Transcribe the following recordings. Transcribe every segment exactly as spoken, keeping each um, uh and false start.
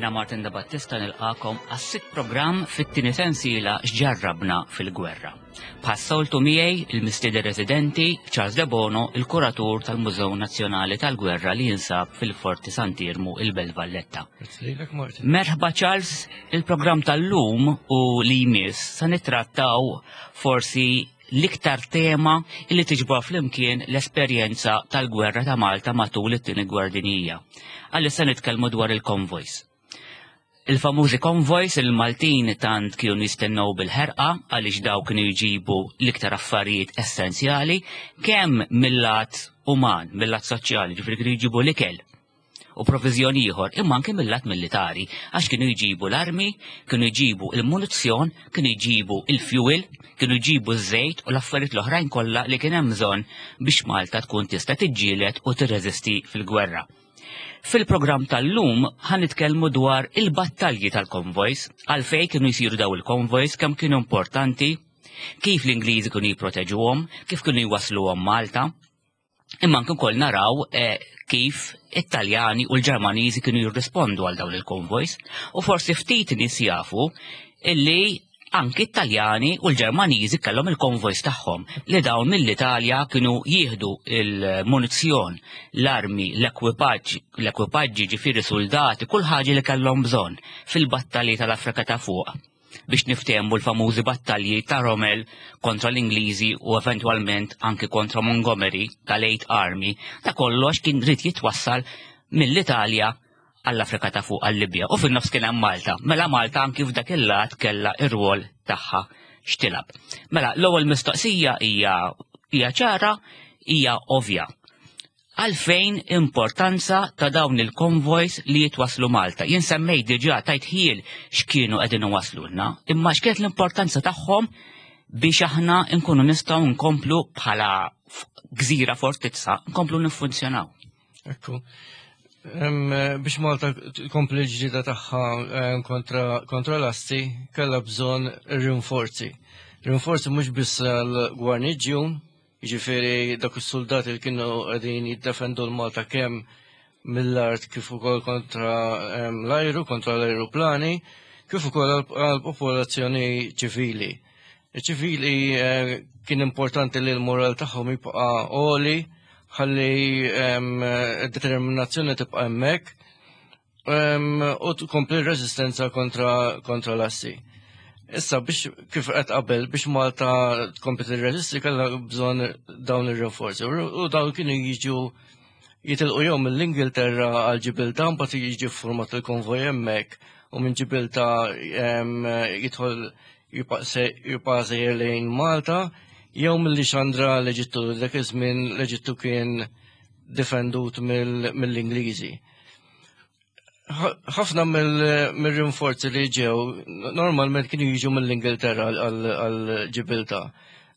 Jiena Martin da Battista nilqagħkom għas-sitt programm fit-tieni sensiela X'ġarrabna fil-gwerra. Bħas-soltu miegħi il-mistieden residenti Charles De Bono, il-kuratur tal-Mużew Nazzjonali tal-Gwerra li jinsab fil-Forti Sant'Iermu, il-Belt Valletta. Merħba Charles, il-programm tal-lum u li jmiss sa nittrattaw forsi l-iktar tema li tiġbor flimkien l-esperjenza tal-gwerra ta' Malta matul it-tieni gwerra dinjija. Għalli se nitkellmu dwar il-konvojs. Il-famużi konvojs il-Maltin tant kienu jistennew bil-ħerqa għaliex daw kienu jġibu l-iktar affarijiet essenzjali kemm mill-lat uman, mill-lat soċjali, ġifieri kienu jġibu l-ikel u provizjoni ieħor, imma anke mill-lat militari, għax kienu jġibu l-armi, kienu jġibu il-munizzjon, kienu jġibu il-fuel, kienu jġibu ż-żejt u l-affarijiet l-oħrajn kollha li kien hemm bżonn biex Malta tkun tista' tiġġieled u tirreżisti fil-gwerra. Fil-programm tal-lum ħa nitkellmu dwar il-battalji tal-konvojs, għalfejn kienu jsiru daw il-konvojs, kemm kienu importanti, kif l-Ingliżi kienu jipproteġuhom, kif kienu jwasluhom Malta. Imma anke wkoll naraw eh, kif it-Taljani u l-Ġermaniżi kienu jirrispondu għal dawn il-konvojs u forsi ftit nies jafu illi anki it-Taljani u l-Ġermaniżi kellhom il-konvojs tagħhom li dawn mill-Italja kienu jieħdu il-munizzjon, l-armi, l-ekwipaġġ, l-ekwipaġġi ġifieri soldati, kull ħaġa li kellhom bżonn fil-battalji tal-Afrika ta' fuq biex niftehmu l-famużi battalji ta' Rommel kontra l-Ingliżi u eventwalment anki kontra Montgomery tal-Eighth Army, ta' kollox kien irid jitwassal mill-Italja għall-Afrika ta' fuq, għall-Libja, u fin-nofs kien hemm Malta. Mela Malta anki f'dak il-lat kellha ir-rwol tagħha x'tilgħab. Mela l-ewwel mistoqsija hija hija ċara, hija ovvja. Għalfejn importanza ta' dawn il-konvojs li jitwaslu Malta? Jien semmejt diġà, tajt ħjiel x'kienu qegħdin iwaslulna, imma x'kienet l-importanza tagħhom biex aħna nkunu nistgħu nkomplu bħala gżira fortizza, nkomplu niffunzjonaw? Ekku. Biex Malta tkompli l-ġlieda tagħha kontra, kontra l-assi, kellha bżonn rinforzi. Rinforzi mhux biss l-gwarniġjun, jiġifieri dak is-soldati li kienu qegħdin jiddefendu l-Malta kemm mill-art kif ukoll kontra l-ajru, kontra l-ajruplani, kif ukoll għall-popolazzjoni ċivili. Iċ-ċivili eh, kien importanti li l-moral tagħhom jibqa' għoli ħalli determinazzjoni tibqa' hemmhekk u tkompli r-reżistenza kontra, kontra l-assi. Issa biex, kif qed qabel, biex Malta tkompli tirreżisti kellha bżonn dawn ir-rinforzi u dawn kienu jiġu jitilqu jew mill-Ingilterra għal Ġibilta, mbagħad jiġi format il-konvoj hemmhekk u minn Ġibilta jidħol, jibqa' sejjer lejn Malta, jew mill-Lixandra l-Eġittu. Dak iż-żmien l-Eġittu kien difendut mill-Ingliżi. Ħafna mill-rinforzi li ġew normalment kienu jiġu mill-Ingilterra għal Ġibilta.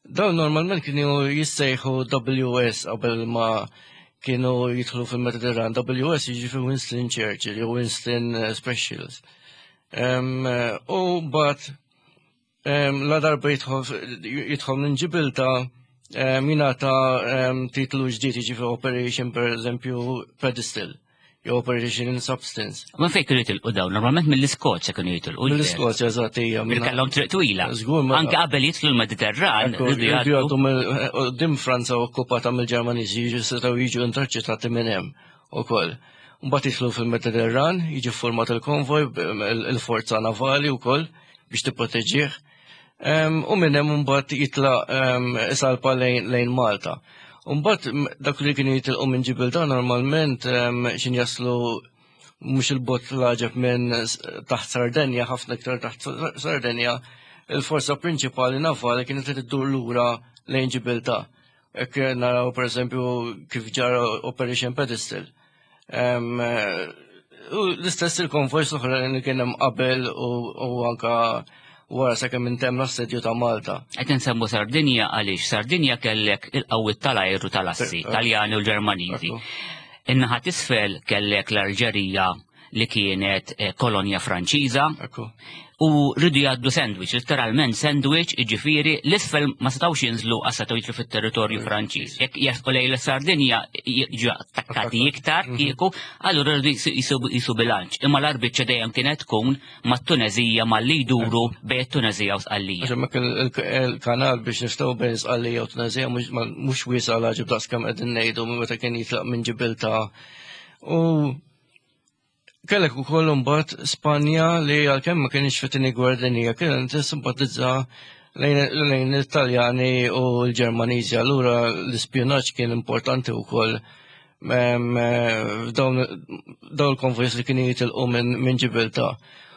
Dawn normalment kienu jissejħu W S qabel ma kienu jidħlu fil-Mediterran. W S jiġi fi Winston Churchill jew Winston Specials. U bat la darba jidħol minn Ġibilta jingħata titlu ġdid, jiġi Operation, per eżempju, Pedestal jew Operation in Substance. Ma fejn kienu jitilqu dawn? Normalment mill-Iskozja kienu jitilqu. Mill-Iskozja, eżatt, hija. Kellhom triq twila. Żgur. Anke qabel jidħlu l-Mediterran. Jgħaddu dim Franza okkupata mill-Ġermaniżi, jiġu setgħu jiġu interċettati minn hemm ukoll. Mbagħad jidħlu fil-Mediterran, jiġi format il-konvoj, il-forza navali wkoll biex tipproteġih. U minn hemm mbagħad jitlaq isalpa lejn Malta. Mbagħad dak li kienu jitilqu minn Ġibilta normalment xin jaslu mhux il-bogħod l-għaġeb minn taħt Sardenja, ħafna iktar taħt Sardenja, il-forza prinċipali navali kienet iddur lura lejn Ġibilta. Hekk naraw, per eżempju, kif ġara Operation Pedestal. U l-istess il-konvojs l-oħra li kien hemm qabel u anka wara sakemm intemm l-assedju ta' Malta. Qed insemmu Sardinja għaliex Sardinja kellek il-qawwiet tal-ajru tal-assi, Taljani u l-Ġermaniżi. In-naħa t'isfel kellek l-Alġerija li kienet eh, kolonja Franċiża. U rridu jgħaddu sandwich, literalment sandwich, jiġifieri l-isfel ma setgħux jinżlu għax setgħu jidħlu fit-territorju Franċiż. Jekk jersqu lejn Sardinja jiġu attakkati iktar mhm. kieku, allura rridu jisu bilanċ. Imma l-arbiċċa dejjem kienet tkun mat-Tunezija malli jduru bejn it-Tunezija u Sqallija. Għax il-kanal biex nistgħu bejn Sqallija u Tunezija mhux wiesa' għal daqs kemm qegħdin ngħidu meta kien jitlaq minn Ġibilta. U kellek ukoll imbagħad Spanja li għalkemm ma kienx fit-tieni gwerra dinjija kienet tissimpatizza lejn l-Italjani u l-Ġermaniżi. Allura l-ispjunaġġ kien importanti wkoll dawn il-konvojs li kienu jitilqu minn Ġibilta.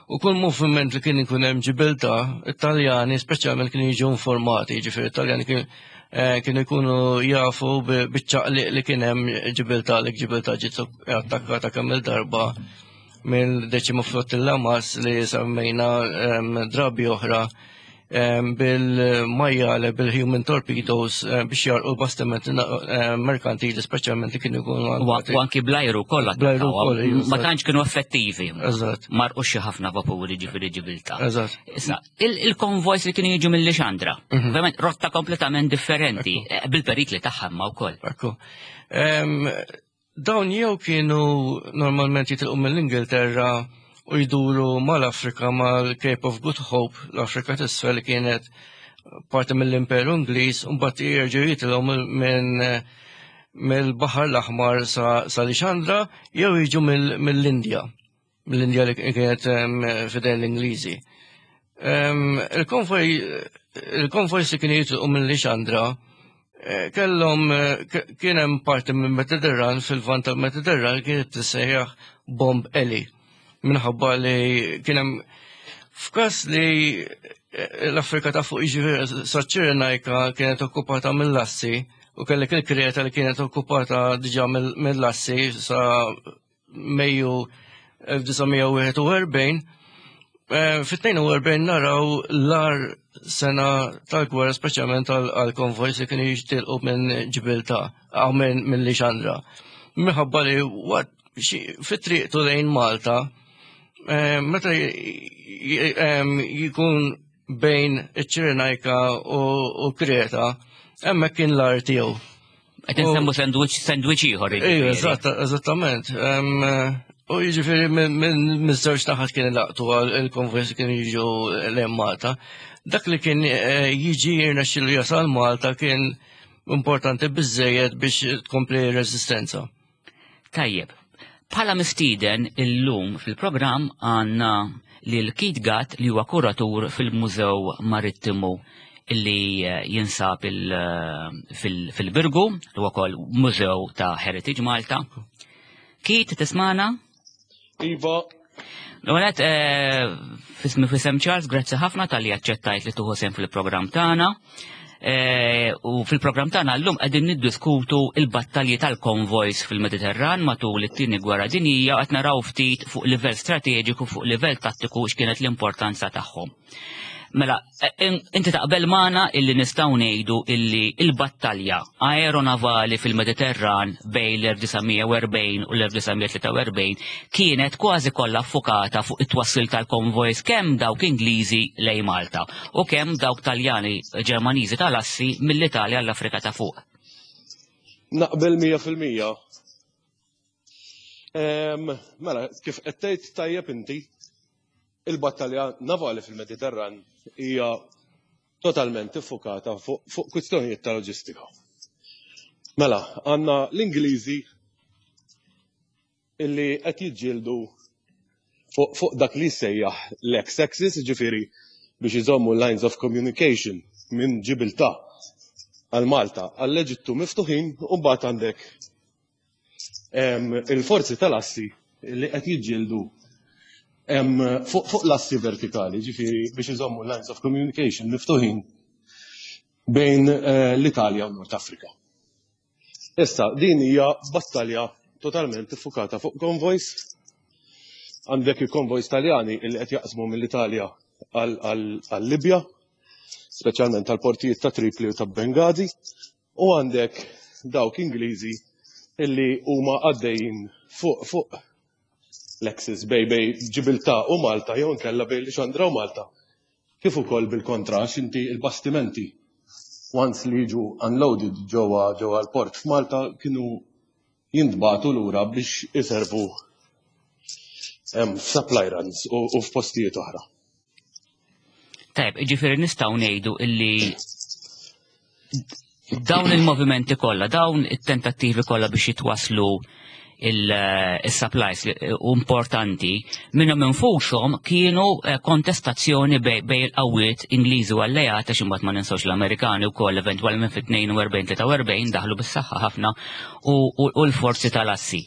U kull moviment li kien ikun hemm Ġibilta, Italjani speċjalment kienu jiġu informati, jiġifieri Italjani eh, kienu jkunu jafu biċ-ċaqliq li kien hemm Ġibilta li Ġibilta ġiet attakkata kemm il-darba mill-deċima flottilla Mas li semmejna drabi oħra bil-majjale, bil-human torpedoes biex jgħarrqu bastimenti merkantili speċjalment li kienu jkunu. U anki blajru kollha. Blajru kollha. Ma tantx kienu effettivi. Eżatt. Marqu xi ħafna vapuri ġifieri Ġibilta. Eżatt. Issa, il-konvojs li kienu jiġu mill-Lixandra, mhm. ovvjament rotta kompletament differenti, eh, bil-perikli tagħha ma wkoll. Ekku. Dawn jew kienu normalment jitilqu mill-Ingilterra u jduru mal-Afrika mal-Cape of Good Hope, l-Afrika t'isfel li kienet parti mill-Imperu Ingliż, u mbagħad jerġgħu jitilgħu minn mill-Baħar l-Aħmar sa Lixandra jew jiġu mill-Indja, mill-Indja li kienet fidejn l-Ingliżi. Il-konvoj il-konvoj li kienu jitilqu minn Lixandra eh, kellhom eh, kien hemm parti minn Mediterran fil-vant tal-Mediterran kienet tissejjaħ Bomb Alley minħabba li kien hemm f'każ li eh, l-Afrika ta' fuq jiġifieri saċ-Ċirenajka kienet okkupata mill-Assi u kellek il-Kreta li kienet okkupata diġà mill-Assi sa Mejju elf disa' mija u wieħed u erbgħin, eh, fit-tnejn u erbgħin naraw l-agħar sena tal-gwerra speċjalment għal-konvojs li kienu jitilqu minn Ġibilta għaw minn Lixandra. Minħabba li fit-triqtu lejn Malta, eh, meta jkun bejn iċ-Ċirenajka u Kreta, hemmhekk kien l-agħar tiegħu. Qed insemmu sandwich, sandwich ieħor. Ejju, eżattament. U jiġifieri minn miż-żewġ naħat kien laqtu għal il-konvojs kienu jiġu lejn Malta. Dak li kien eh, jiġi jirnexxilu jasal Malta kien importanti biżejjed biex tkompli reżistenza. Tajjeb. Bħala mistieden illum fil-programm għandna lil Keith Gatt li huwa kuratur fil-Mużew Marittimu illi eh, jinsab eh, fil-Birgu, li huwa wkoll Mużew ta' Heritage Malta. Keith, tismana? Iva. L-għonet, eh, fismi fisem Charles, grazzi ħafna tal-li aċċettajt li tuħu sem fil-programm tagħna. U fil-programm tagħna llum qegħdin niddiskutu il-battalji tal-konvojs fil-Mediterran matul it-tieni gwerra dinjija qed naraw ftit fuq livell strateġiku, fuq livell tattiku x'kienet l-importanza tagħhom. Mela, inti taqbel magħna illi nistgħu ngħidu illi il-battalja aeronavali fil-Mediterran bejn l-elf disa' mija u erbgħin u l-elf disa' mija tlieta u erbgħin kienet kważi kollha affukata fuq it-twassil tal-konvojs kemm dawk Ingliżi lejn Malta u kemm dawk Taljani Ġermaniżi tal-Assi mill-Italja għall-Afrika ta' fuq. Naqbel mija fil-mija. Mela, kif qed tgħid tajjeb inti, il-battalja navali fil-Mediterran hija totalment iffukata fuq, fuq kwistjonijiet ta' loġistika. Mela, għandna l-Ingliżi illi qed jiġġieldu fuq, fuq dak li jsejjaħ l-X-axis, ġifieri biex iżommu lines of communication minn Ġibiltà għal Malta għall-Eġittu miftuħin, u mbagħad għandek, em, il-forzi tal-assi li qed jiġġieldu em, fuq, fuq l-assi vertikali, ġifieri biex iżommu lines of communication miftuħin bejn, eh, l-Italja u Nord Afrika. Issa, din hija battalja totalment iffukata fuq konvojs. Għandek il-konvojs Taljani li qed jaqsmu mill-Italja għal-Libja, speċjalment tal-portijiet ta' Tripli u ta' Benghazi, u għandek dawk Ingliżi illi huma għaddejjin fuq, fuq L-axis bejn bejn Ġibiltà u Malta jew inkella bejn Lixandra u Malta. Kif ukoll bil-kontra, għax inti il-bastimenti once li jiġu unloaded ġewwa ġewwa l-port f'Malta kienu jintbagħtu lura biex iservu f'supply runs u, u f'postijiet oħra. Tajb, ġifieri nistgħu ngħidu illi dawn il-movimenti kollha, dawn it-tentattivi kollha biex jitwaslu il-supplies importanti minnhom infushom kienu eh, kontestazzjoni bejn il-qawwiet Ingliżi u alleati, x'imbagħad ma ninsawx l-Amerikani wkoll eventwalment fit-tnejn u erbgħin tlieta u erbgħin daħlu bis-saħħa ħafna u l-forzi tal-assi.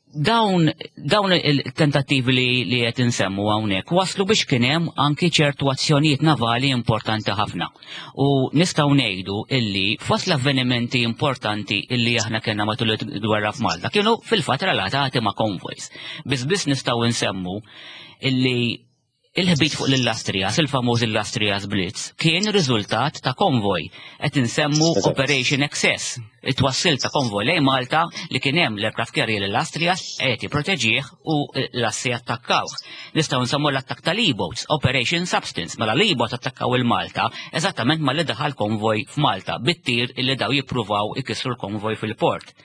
Dawn dawn il-tentattivi li li qed insemmu hawnhekk waslu biex kien hemm anki ċertu azzjonijiet navali importanti ħafna. U nistgħu ngħidu illi fost l-avvenimenti importanti illi aħna kellna matul il-gwerra f'Malta kienu fil-fatt relatati ma' convoys. Biss biss nistgħu nsemmu illi il-ħbit fuq l-Illustrious, il-famuż Illustrious Blitz, kien riżultat ta' konvoj. Qed insemmu Operation Excess, it-twassil ta' konvoj lejn Malta li kien hemm l-aircraft carrier l-Illustrious qed jipproteġih u l-assi attakkawh. Nistgħu nsemmu l-attakk tal-E-boats, Operation Substance, mela l-E-boat attakkaw il-Malta eżattament malli daħal konvoj f'Malta bit-tir illi daw jippruvaw ikissru l-konvoj fil-port.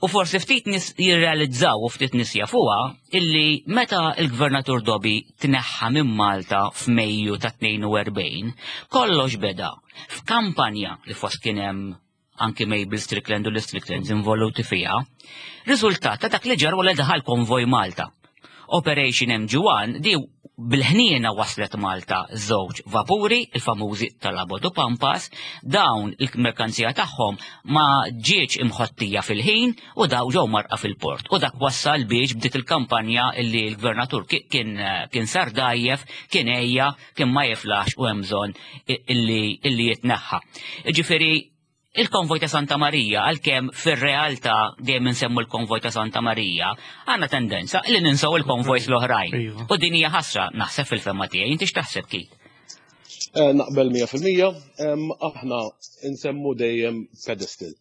U forsi ftit nies jirrealizzaw u ftit nies jafuha illi meta il-gvernatur Dobi tneħħa minn Malta f'Mejju ta' tnejn u erbgħin, kollox beda f'kampanja li fost kien hemm anki Mabel Strickland u l-Stricklands involuti fiha, riżultat ta' dak li ġar wara daħal konvoj Malta. Operation M G one di bil-ħniena waslet Malta żewġ vapuri, il-famużi Talabot u Pampas. Dawn il-merkanzija tagħhom ma ġietx imħottija fil-ħin u daw ġew mgħarrqa fil-port. U dak wassal biex bdiet il-kampanja illi l-gvernatur kien kien sar dajjef, kien ejja, kien ma jiflax u hemm bżonn illi illi jitneħħa. Ġifieri il-konvoj ta' Santa Marija, għalkemm fir-realtà dejjem insemmu l-konvoj ta' Santa Marija, għandna tendenza li ninsaw il-konvojs l-oħrajn. Iva. U din hija ħasra, naħseb, fil-fehma tiegħi. Inti x'taħseb, Kit? Eh, Naqbel mija fil-mija, em, aħna nsemmu dejjem Pedestal.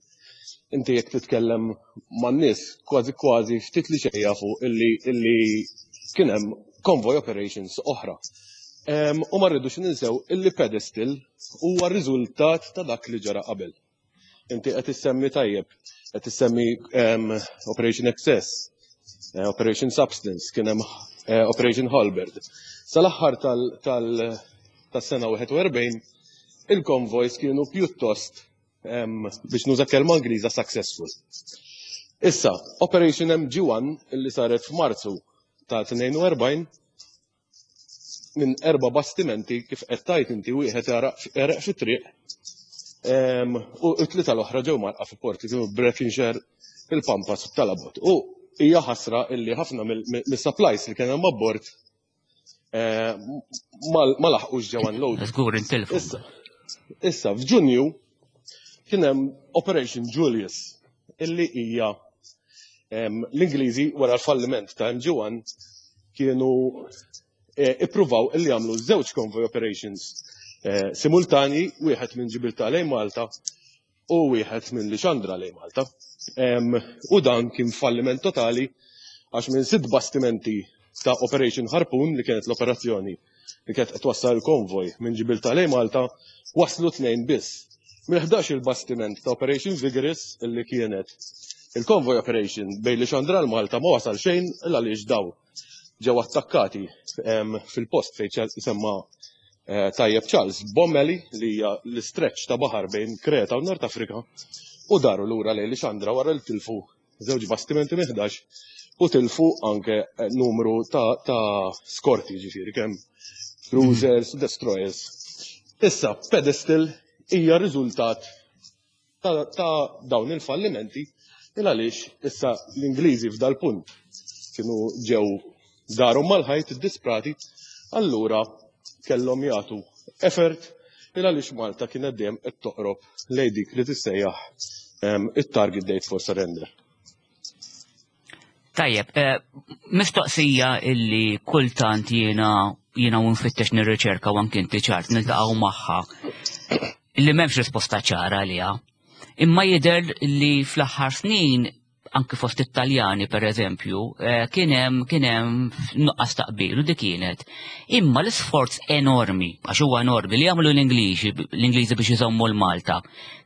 Inti jekk titkellem man-nies, kważi kważi ftit li xejn jafu illi illi kien hemm convoy operations oħra. Em, U ma rridux ninsew illi Pedestal huwa riżultat ta' dak li ġara qabel. Inti qed issemmi tajjeb, qed issemmi em, Operation Excess, eh, Operation Substance, kien hemm eh, Operation Halberd. Sal-aħħar tal- tal- tas-sena wieħed u erbgħin il-convoys kienu pjuttost, em, biex nuża kelma Ingliża, successful. Issa, Operation M G one illi saret f'Marzu ta' tnejn u erbgħin minn erba' bastimenti, kif qed tajt inti, wieħed għereq fit-triq em, u t-tlieta l-oħra ġew mgħarrqa fi porti, kienu Breconshire, il-Pampas u Talabot. U hija ħasra illi ħafna mill-supplies li kien hemm abbord eh, ma ma laħqux ġew unloaded. Żgur intilfu. Issa, issa f'Ġunju kien hemm Operation Julius illi hija em, l-Ingliżi wara l-falliment ta' M G one kienu eh, ippruvaw illi jagħmlu żewġ convoy operations eh, simultani, wieħed minn Ġibiltà lejn Malta u wieħed minn Lixandra lejn Malta. Em, U dan kien falliment totali għax minn sitt bastimenti ta' Operation Harpoon, li kienet l-operazzjoni li kienet qed twassal il-konvoj minn Ġibiltà lejn Malta, waslu tnejn biss. Minn ħdax il-bastiment ta' Operation Vigorous, illi kienet il-convoy operation bejn Lixandra l Malta, ma wasal xejn illa għaliex daw ġew attakkati em, fil-post fejn ċel- semma eh, tajjeb Charles, Bommeli, li hija l-stretch ta' baħar bejn Kreta u Nord Afrika, u daru lura lejn Lixandra wara li tilfu żewġ bastimenti minn ħdax u tilfu anke eh, numru ta', ta skorti, ġifieri kemm cruisers, destroyers. Issa, Pedestal hija riżultat ta', ta dawn il-fallimenti il għaliex issa l-Ingliżi f'dal punt kienu ġew daru mal-ħajt disprati, allura kellhom jagħtu effort il għaliex Malta kienet dejjem qed toqrob lejn dik li tissejjaħ em, it-target date for surrender. Tajjeb, eh, mistoqsija illi kultant jiena jiena u nfittex nirriċerka u anki inti, Charles, niltaqgħu magħha illi m'hemmx risposta ċara għaliha. Imma jidher li fl-aħħar snin anki fost Italjani per eżempju, eh, kien hemm kien hemm nuqqas ta' qbil u dik kienet. Imma l-isforz enormi, għax huwa enormi li jagħmlu l-Ingliżi l-Ingliżi biex iżommu l-Malta,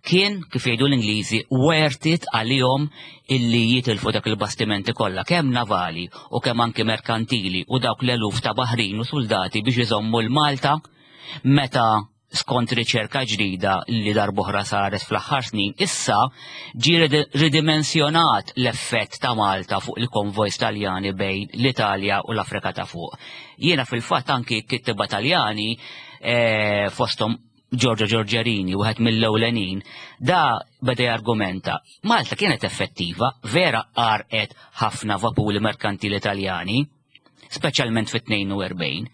kien, kif jgħidu l-Ingliżi, worth it għalihom illi jitilfu dak il-bastimenti kollha, kemm navali u kemm anki merkantili, u dawk l-eluf ta' baħrin u soldati biex iżommu l-Malta, meta skont riċerka ġdida li darb'oħra saret fl-aħħar snin, issa ġi ridimensjonat l-effett ta' Malta fuq il-konvojs Taljani bejn l-Italja u l-Afrika ta' Fuq. Jiena fil-fatt anki kittiba Taljani, eh, fosthom Giorgio Giorgiarini, wieħed mill-ewlenin, da beda jargumenta: Malta kienet effettiva, vera għarqet ħafna vapuri merkantili Italjani, speċjalment fit-tnejn u erbgħin.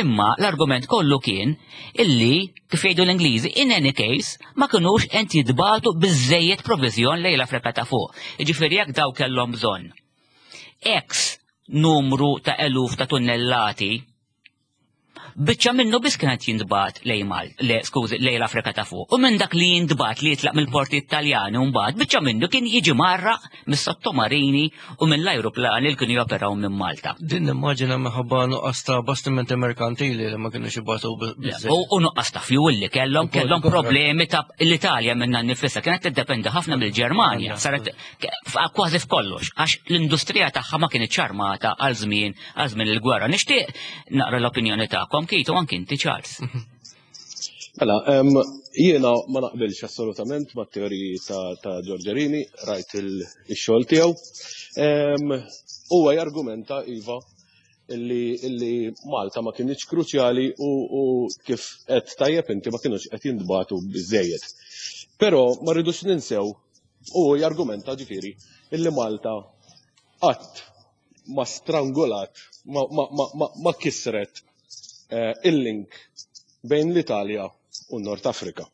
Imma l-argument kollu kien illi, kif jgħidu l-Ingliżi, in any case, ma kinux qed jintbagħtu biżejjed provizjon lejn l-Afrika ta' Fuq. Jiġifieri jekk daw kellhom bżonn X numru ta' eluf ta' tunnellati, biċċa minnu biss kienet jintbagħat lejn Mal, le, skużi, lejn l-Afrika ta' Fuq. U minn dak li jintbagħat li jitlaq mill-porti Italjani mbagħad, biċċa minnu kien jiġi mgħarraq mis-sottomarini u mill-ajruplani li kienu joperaw minn Malta. Din nimmaġina minħabba nuqqas ta' bastimenti merkantili li ma kienux jibagħtu biżżejjed. U u nuqqas ta' fuel li kellhom, Ukoll, kellhom ukoll. problemi ta' l-Italja minna nifisha kienet tiddependi ħafna mill-Ġermanja, saret k- kważi f'kollox, għax l-industrija tagħha ma kienet armata għal żmien għal żmien il-gwerra. Nixtieq naqra l-opinjoni tagħkom, Kitu, anki inti, Charles. Mela, em, jiena ma naqbilx assolutament ma' teoriji ta', ta' Giorgiarini, rajt il-xogħol tiegħu. Em, Huwa jargumenta, iva, illi, illi Malta ma kienx kruċjali u, u kif qed tajjeb inti, ma kienux qed jintbagħtu biżejjed. Però ma rridux ninsew, u jargumenta ġifieri illi Malta qatt ma strangolat, ma, ma, ma, ma, ma kisret eh, il-link bejn l-Italja u Nord Afrika.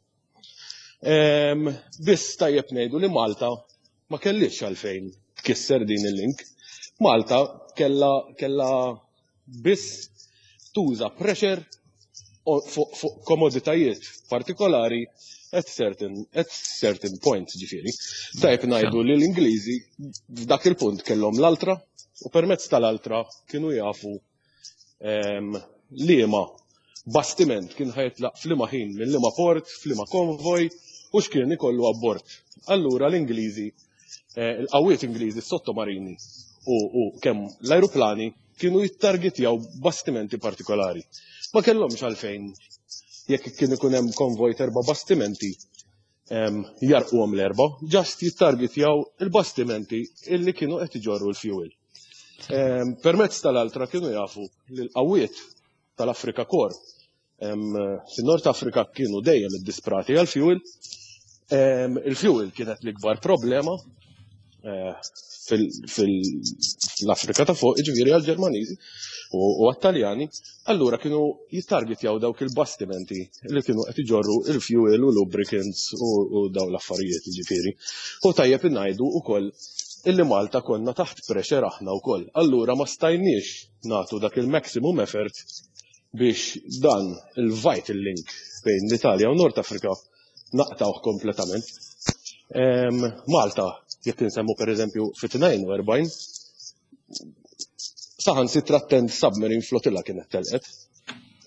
Em, Biss tajjeb ngħidu li Malta ma kellix għalfejn tkisser din il-link. Malta kella, kella biss tuża pressure o- fuq fuq komoditajiet partikolari at certain, at certain points, ġifieri. Tajjeb ngħidu li l-Ingliżi f'dak il-punt kellhom l-altra u permezz tal-altra kienu jafu em, liema bastiment kien ħa jitlaq f'liema ħin minn liema port, f'liema konvoj u x'kien ikollu abbord. Allura l-Ingliżi, eh, il-qawwiet Ingliżi, sottomarini u, u kemm l-ajruplani kienu jittargetjaw bastimenti partikolari. Ma kellhomx għalfejn, jekk kien ikun hemm konvoj t'erba' bastimenti, em, jgħarrquhom l-erba', just jittargetjaw il-bastimenti illi kienu qed iġorru l-fuel. Em, Permezz tal-altra kienu jafu li l-qawwiet tal-Afrika Corps em, fin-Nord Afrika kienu dejjem iddisprati għal-fuel. Em, Il-fuel kienet l-ikbar problema eh, fil-Afrika ta' Fuq, ġifieri għal-Ġermaniżi u u għat-Taljani, allura kienu jittargetjaw dawk il-bastimenti li kienu qed iġorru il-fuel u lubricants u, u daw l-affarijiet, ġifieri. U tajjeb ngħidu wkoll illi Malta konna taħt pressure aħna wkoll. Allura ma stajniex nagħtu dak il-maximum effort biex dan il-vital link bejn l-Italja u Nord Afrika naqtawh kompletament. Em, Malta, jekk insemmu per eżempju fit-tnejn u erbgħin, saħansitra tenth submarine flotilla kienet telqet.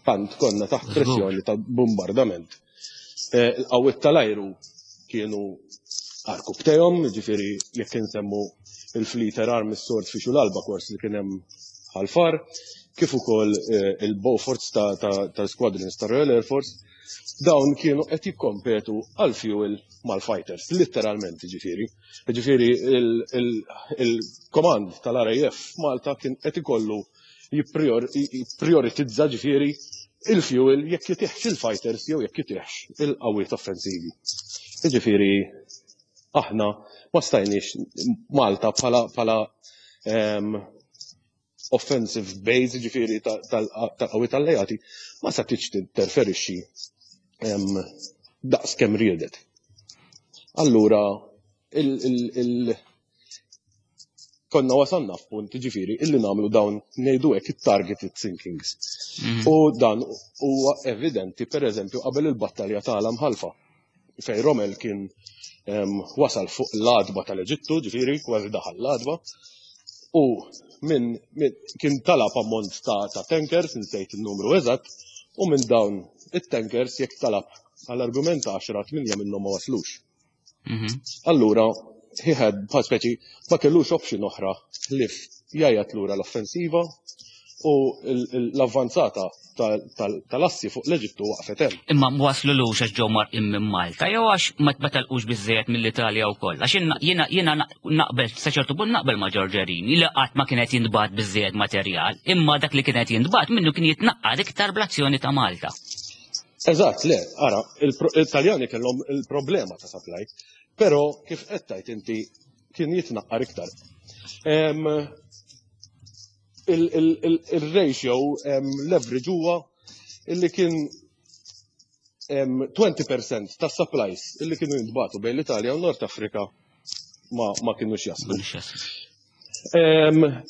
Tant konna taħt pressjoni ta' bombardament. Eh, Il-qawwiet tal-ajru kienu għarkupptejhom, ġifieri jekk insemmu il-Fleet Air Arm, is-Swordfish u l-Albacores li kien hemm Ħal Far, kif ukoll eh, il-Beauforts tal-Squadrons ta' Royal Air Force, dawn kienu qed jikkompetu għal fuel mal-fighters, letteralment ġifieri. Ġifieri il-komand tal-R A F Malta kien qed ikollu jipprioritizza ġifieri il-fuel, jekk jtihx il-fighters jew jekk jtihx il-qawwiet offensivi. Ġifieri aħna ma stajniex Malta bħala bħala em, offensive base, ġifieri tal-qawwiet alleati, ma setgħetx tinterferixxi em, daqs kemm riedet. Allura il, il, il, konna wasalna f'punt ġifieri illi nagħmlu dawn, ngħidu hekk, it-targeted sinkings. Mhm. U dan huwa evidenti per eżempju qabel il-battalja ta' Imħalfa fejn Rommel kien Wasal fuq l-għatba tal-Eġittu, ġifieri kważi daħal l-għatba, u minn kien talab ammont ta', ta tankers, insejt il-numru eżatt, u minn dawn it-tankers, jekk talab għall-argument għaxra, tmienja minnhom ma waslux. Mhm. Allura, he had, bħal speċi, ma kellux option oħra ħlief jgħajjat lura l-offensiva u l-avvanzata tal-assi fuq l-Eġittu waqfet hemm. Imma waslu lux għax ġew mgħarrqin minn Malta jew għax ma telqux biżejjed mill-Italja wkoll? Għax jiena jiena naqbel, sa ċertu punt naqbel ma' Giorgerini li qatt ma kienet jintbagħat biżejjed materjal, imma dak li kienet jintbagħat minnu kien jitnaqqar iktar bl-azzjoni ta' Malta. Eżatt, le, ara, il-Taljani kellhom il-problema ta' supply, però kif qed tgħid inti kien jitnaqqar iktar. Il-ratio leverage huwa illi kien għoxrin fil-mija ta' supplies illi kienu jintbagħtu bejn l-Italja u Nord Afrika ma, ma kienux jaslu.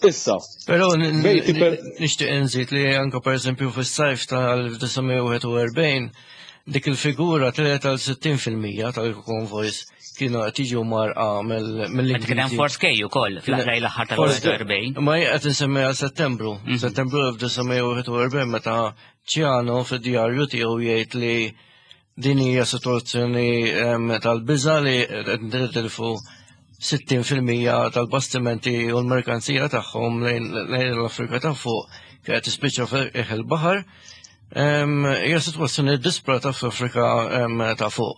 Issa. Pero nixtieq nżid li anka, per eżempju, fis-sajf tal-elf disa' mija u wieħed u erbgħin dik il-figura telgħet għal sittin fil-mija tal-konvojs kienu qed jiġu mgħarrqa mill-Ingliżi. Kien hemm Force K ukoll fl-aħħar l-aħħar tal-erbgħin. Ma qed insemmi għal Settembru. Mhm. Settembru elf disa' mija u wieħed u erbgħin, meta Ciano fid-djarju tiegħu jgħid li din hija sitwazzjoni tal-biża li qed nitilfu sittin fil-mija tal-bastimenti u l-merkanzija tagħhom lejn l-Afrika ta' fuq kienet tispiċċa fil baħar. Hija sitwazzjoni disprata fl-Afrika ta' fuq.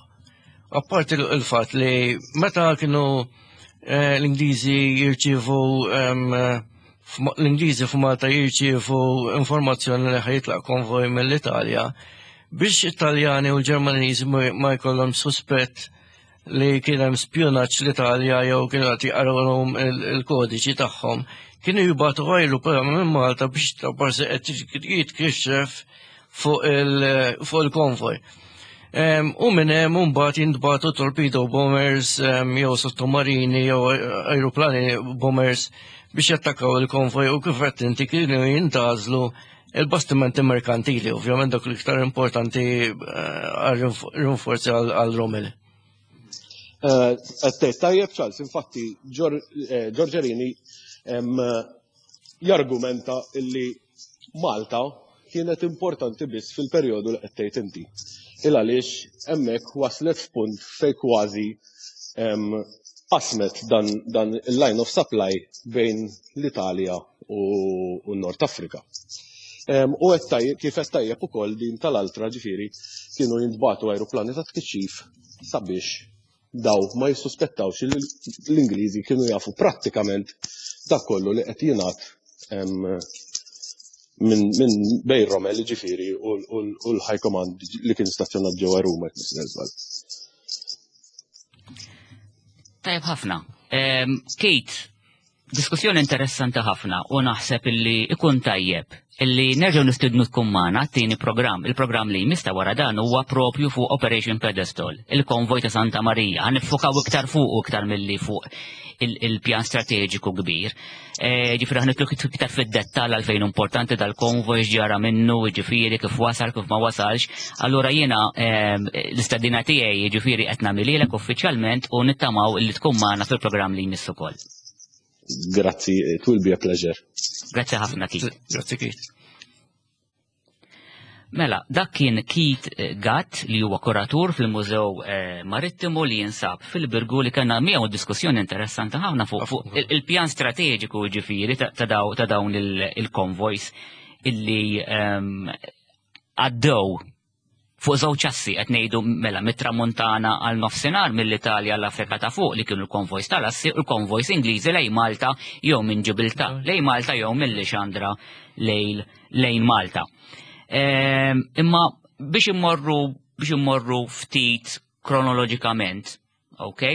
Apparti il-fatt li meta kienu eh, l-Ingliżi jirċievu l-Ingliżi f'Malta jirċievu informazzjoni li ħa jitlaq konvoj mill-Italja, biex Italjani u l-Ġermaniżi ma jkollhom suspett li kien hemm spjunaġġ l-Italja jew kienu qed jaqrawhom il-kodiċi tagħhom, kienu jibagħtu ajruplan minn Malta biex ta' parsi qed jitkixxef fuq il-konvoj. U minn hemm mbagħad jintbagħtu torpedo bombers jew sottomarini jew ajruplani bombers biex jattakkaw il-konvoj, u kif qed inti kienu jintgħażlu il-bastimenti merkantili, ovvjament dak l-iktar importanti eh, għal rinforzi għal Rommel. Qed tajjeb, Charles, infatti eh, Giorgerini jargumenta illi Malta kienet importanti biss fil-perjodu li qed tgħid inti. Il għaliex hemmhekk waslet f'punt fej kważi qasmet dan, dan il-line of supply bejn l-Italja u, u Nord Afrika. U qed kif qed tajjeb ukoll din tal-altra, ġifieri kienu jintbagħtu ajruplani ta' tkixxif sabiex daw ma jissuspettawx li l-Ingliżi kienu jafu prattikament dak kollu li qed jingħad minn min bejn Rommel, ġifieri, u l-High Command li kien stazzjonat ġewwa Ruma. Tajb ħafna. Kate, diskussjoni interessanti ħafna u naħseb illi ikun tajjeb illi nerġgħu nistidnu tkun magħna t-tieni programm. Il-programm li jmiss ta' wara dan huwa propju fuq Operation Pedestal, il-konvoj ta' Santa Maria. Ħa niffukaw iktar fuq u iktar milli fuq il-pjan strateġiku kbir. E, ġifieri ħa nidħlu iktar fid-dettall għalfejn importanti dal-konvoj, ġara minnu, ġifieri kif wasal, kif ma wasalx. Allura jiena l-istedina tiegħi, ġifieri, qed nagħmililek uffiċjalment u nittamaw illi tkun magħna fil-programm li jmiss ukoll. Grazzi, it will be a pleasure. Grazzi ħafna, Keith. Grazzi, Keith. Mela, dak kien Keith Gatt li huwa kuratur fil-Mużew eh, Marittimu li jinsab fil-Birgu, li kellna miegħu diskussjoni interessanti ħafna fuq fuq il-pjan strateġiku, ġifieri ta' dawn il-convoys illi ehm, għaddew fuq żewġ assi, qed ngħidu, mela, mit-Tramuntana għal nofsinhar, mill-Italja għall Afrika ta' fuq, li kienu l-konvojs tal-assi, u l-konvojs Ingliżi lejn Malta jew minn Ġibilta lejn Malta jew minn Lixandra lejn lejn Malta. Ehm, imma biex immorru biex immorru ftit kronoloġikament, ok?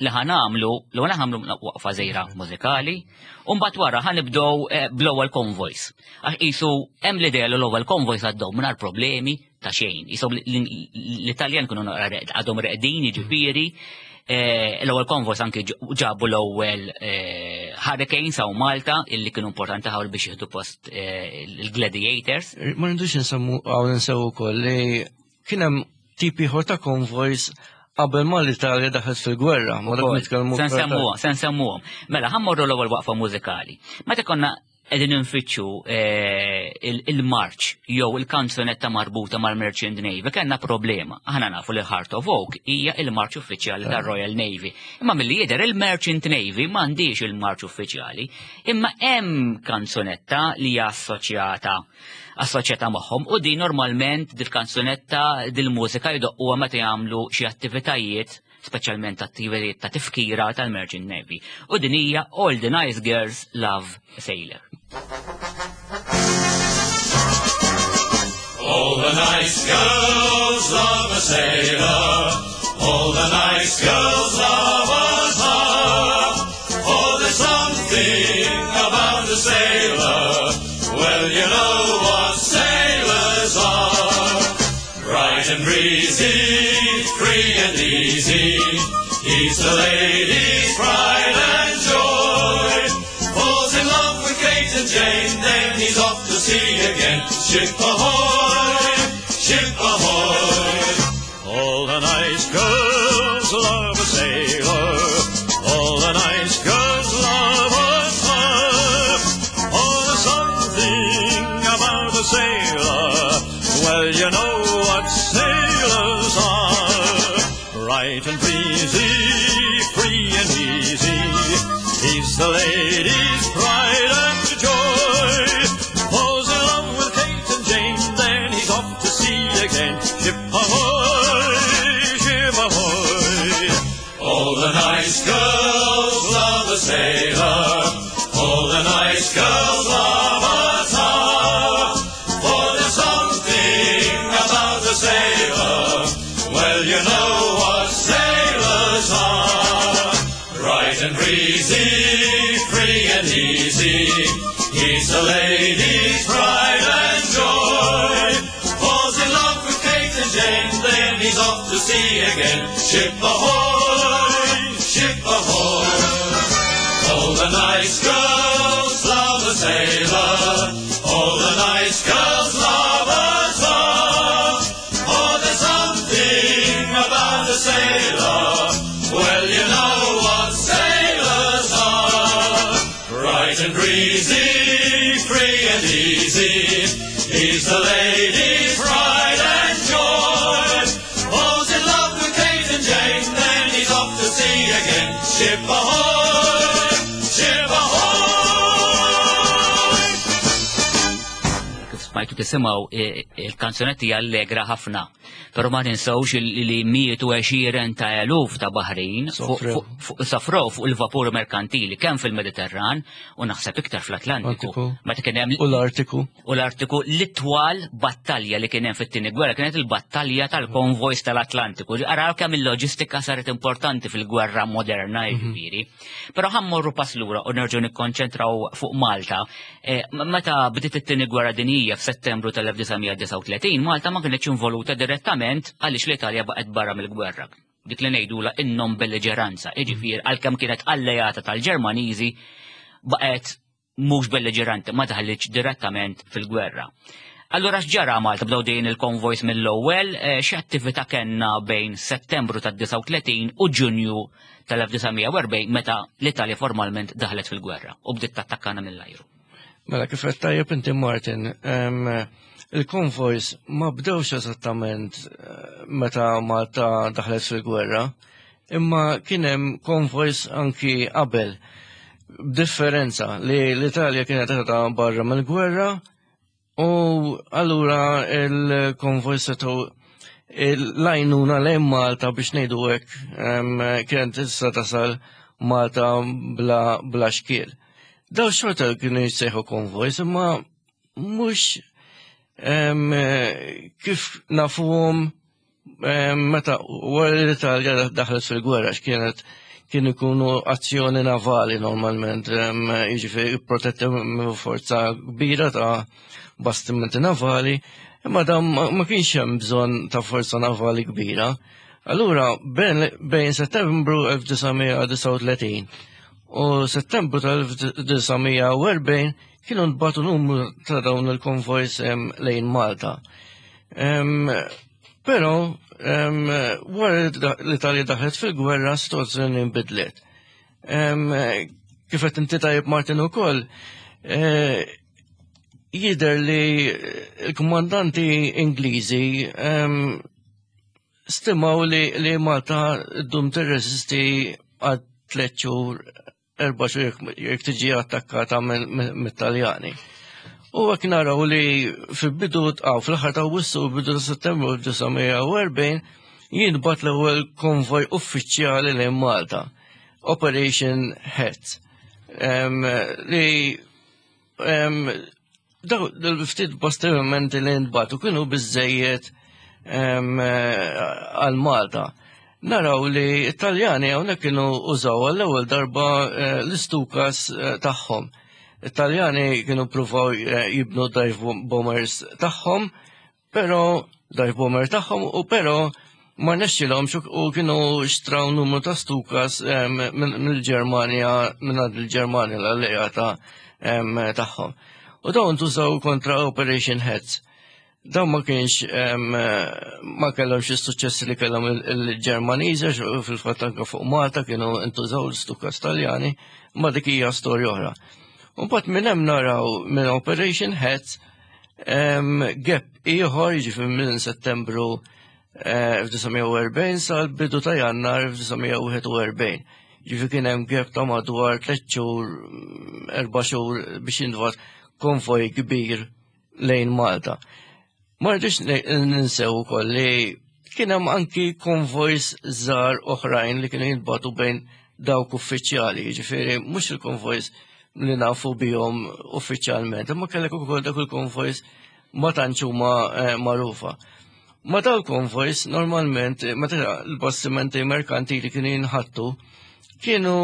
Li ħa nagħmlu, li ħa nagħmlu waqfa żgħira mużikali, u mbagħad wara ħa nibdew eh, bl-ewwel convoys. Għax qisu hemm l-idea li l-ewwel convoys għaddew mingħajr problemi ta' xejn. Qisu l-Italjan kienu għadhom reqdin, jiġifieri, eh, l-ewwel convoys anke ġabu l-ewwel eh, Hurricanes hawn Malta, illi kienu importanti ħafna biex jieħdu post il-Gladiators. Ma rridux nsemmu hawn, nsew ukoll li kien hemm tipi ieħor ta' convoys. qabel ma l-Italja daħlet fil-gwerra, ma dak nitkellmu. Se nsemmuhom, se nsemmuhom. Mela, ħa mmorru l-ewwel waqfa mużikali. Meta konna qegħdin nfittxu eh, il-marċ jew il-kanzunetta marbuta mal-Merchant Navy, kellna problema. Aħna nafu li Heart of Oak hija il-marċ uffiċjali tar-Royal Navy. Imma milli jidher il-Merchant Navy m'għandix il-marċ uffiċjali, imma hemm kanzunetta li hija assoċjata assoċjata magħhom u din normalment dil-kanzunetta, dil-mużika jdoqquha meta jagħmlu xi attivitajiet, speċjalment attivitajiet ta' tifkira tal-Merchant Navy. U din hija All the Nice Girls Love Sailor. All the nice girls love a sailor. All the nice girls love a tar. Oh, there's something about a sailor. Well, you know what sailors are. Bright and breezy, free and easy. He's the lady's pride and joy. Falls in love with Kate and Jane, then he's off to sea again. Ship ahoy, ship ahoy. All the nice girls love a sailor. All the nice girls love a tar. Oh, there's something about a sailor. Well, you know what sailors are. Bright and breezy, free and easy. He's the lady's pride and joy. Falls in love with Kate and Jane, then he's off to sea again. Ship ahoy, ship ahoy. All the nice girls love a sailor. All the nice girls love a tar. For there's something about a sailor. Well, you know what sailors are. Bright and breezy, free and easy. He's the lady's pride and joy. Falls in love with Kate and Jane, then he's off to sea again. Ship ahoy, ship ahoy. All the nice girls love a sailor. All the nice girls love a tar. Oh, there's something about a sailor. Well, you know what sailors are. Bright and breezy, free and easy. He's the lady's pride and joy. Falls in love with Kate and Jane, then he's off to sea again. Ship ahoy, ship ahoy! Kif smajtu tisimgħu, eh, il-kanzunetti allegra ħafna. Però ma ninsawx il- li mietu għexieren ta' eluf ta' baħrin fuq- Sofrew. fuq- fuq- sofrew fuq il-vapur merkantili kemm fil-Mediterran u naħseb iktar fl-Atlantiku. Atlantiku. Meta kien hemm U l-Artiku. U l-Artiku, l-itwal battalja li kien hemm fit-tieni gwerra kienet il-battalja tal-konvojs tal-Atlantiku. Araw kemm il-loġistika saret importanti fil-gwerra moderna, jiġifieri. Però ħa mmorru pass lura u nerġgħu nikkonċentraw fuq Malta. Eh, Meta bdiet it-tieni gwerra dinjija f'Settembru tal-elf disa' mija disgħa u tletin, Malta ma kienx involuta direttament għaliex l-Italja baqgħet barra mill-gwerra. Dik li ngħidula in-non belliġeranza, jiġifieri għalkemm kienet alleata tal-Ġermaniżi baqgħet mhux belliġeranti, ma daħlitx direttament fil-gwerra. Allura x'ġara Malta? Bdew din il-konvojs mill-ewwel, eh, x'attività kellna bejn Settembru tad-disgħa u tletin u Ġunju tal-elf disa' mija u erbgħin, meta l-Italja formalment daħlet fil-gwerra u bdiet tattakkana mill-ajru? Mela, kif qed tajjeb inti, Martin, em, il-konvojs ma bdewx eżattament eh, meta Malta daħlet fil-gwerra, imma kien hemm konvojs anki qabel. B'differenza li l-Italja kienet qiegħda barra mill-gwerra u allura il-konvojs setgħu l-għajnuna lejn Malta, biex ngħidu hekk, em, kienet tista' tasal Malta bla, bla xkiel. Daw xorta kienu jissejħu konvojs, imma mhux em, kif nafuhom em, meta wara li l-Italja daħlet fil-gwerra, x'kienet kien ikunu azzjoni navali normalment, em, jiġifieri protetti minn forza kbira ta' bastimenti navali, imma dan ma ma kienx hemm bżonn ta' forza navali kbira. Allura, bejn bejn Settembru elf disa' mija disgħa u tletin u Settembru tal-elf disa' mija u erbgħin kienu nbagħtu numru ta' dawn il-konvojs em, lejn Malta. Em, Però Wara l-Italja daħlet fil-gwerra, situazzjoni nbidlet. Kif qed inti tajjeb, Martin, ukoll, eh, jidher li l-komandanti Ingliżi stimaw li, li Malta ddum tirreżisti għal tliet xhur, erba' xhur jekk tiġi attakkata mit-Taljani. U hekk naraw li fil-bidu għaw fl-aħħar ta' Awwissu u bidu ta' Settembru elf disa' mija u erbgħin jintbagħat l-ewwel konvoj uffiċjali lejn Malta, Operation Hat. Li daw l-ftit bastimenti li ntbagħtu kienu biżejjed għal Malta. Naraw li Italjani hawnhekk kienu użaw għall-ewwel darba eh, l-Stukas eh, tagħhom. Italjani kienu pruvaw eh, jibnu dive bombers tagħhom, però dive bomber tagħhom u però ma rnexxilhomx u kienu xtraw numru ta' Stukas mill-Ġermanja, minn il-Ġermanja l-alleata tagħhom. U dawn tużaw kontra Operation Heads. Dawn ma kienx ma kellhomx is-suċċess li kellhom il-Ġermaniżi, fil-fatt anke fuq Malta kienu ntużaw l-Stukas Taljani, ma dik hija storja oħra. U mbagħad minn hemm naraw minn Operation Heads gap ieħor, jiġifieri minn Settembru elf disa' mija u erbgħin sal-bidu ta' Jannar elf disa' mija u wieħed u erbgħin. Ġifieri kien hemm gap ta' madwar tliet xhur, erba' xhur biex jintbagħat konvoj kbir lejn Malta. Ma rridux ninsew ukoll li kien hemm anki konvojs żgħar oħrajn li kienu jintbagħtu bejn dawk uffiċjali, ġifieri mhux il-konvojs li nafu bihom uffiċjalment, imma kellek ukoll dak il-konvojs ma tantx huma eh, magħrufa. Ma dal-konvojs normalment, meta l-bastimenti merkantili kienu jinħattu, kienu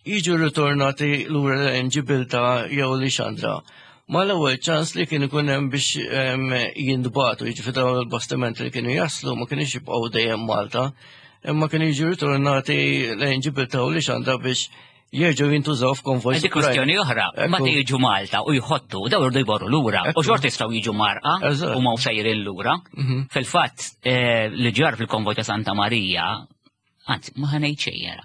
jiġu ritornati lura lejn Ġibilta jew Lixandra. Ma l-ewwel ċans li kien ikun hemm biex jintbagħtu, jiġifieri dawn il-bastimenti li kienu jaslu ma kienux jibqgħu dejjem Malta, imma kienu jiġu ritornati lejn Ġibilta u Lixandra biex jerġgħu jintużaw f'konvoj. Dik kwestjoni oħra, ma jiġu Malta u jħottu, daw irdu jmorru lura, u xorta jistgħu jiġu mgħarrqa u ma sejrin lura. Mhm. Fil-fatt, eh, li ġar fil-konvoj ta' Santa Marija, anzi, ma ħa ngħid xejn jara.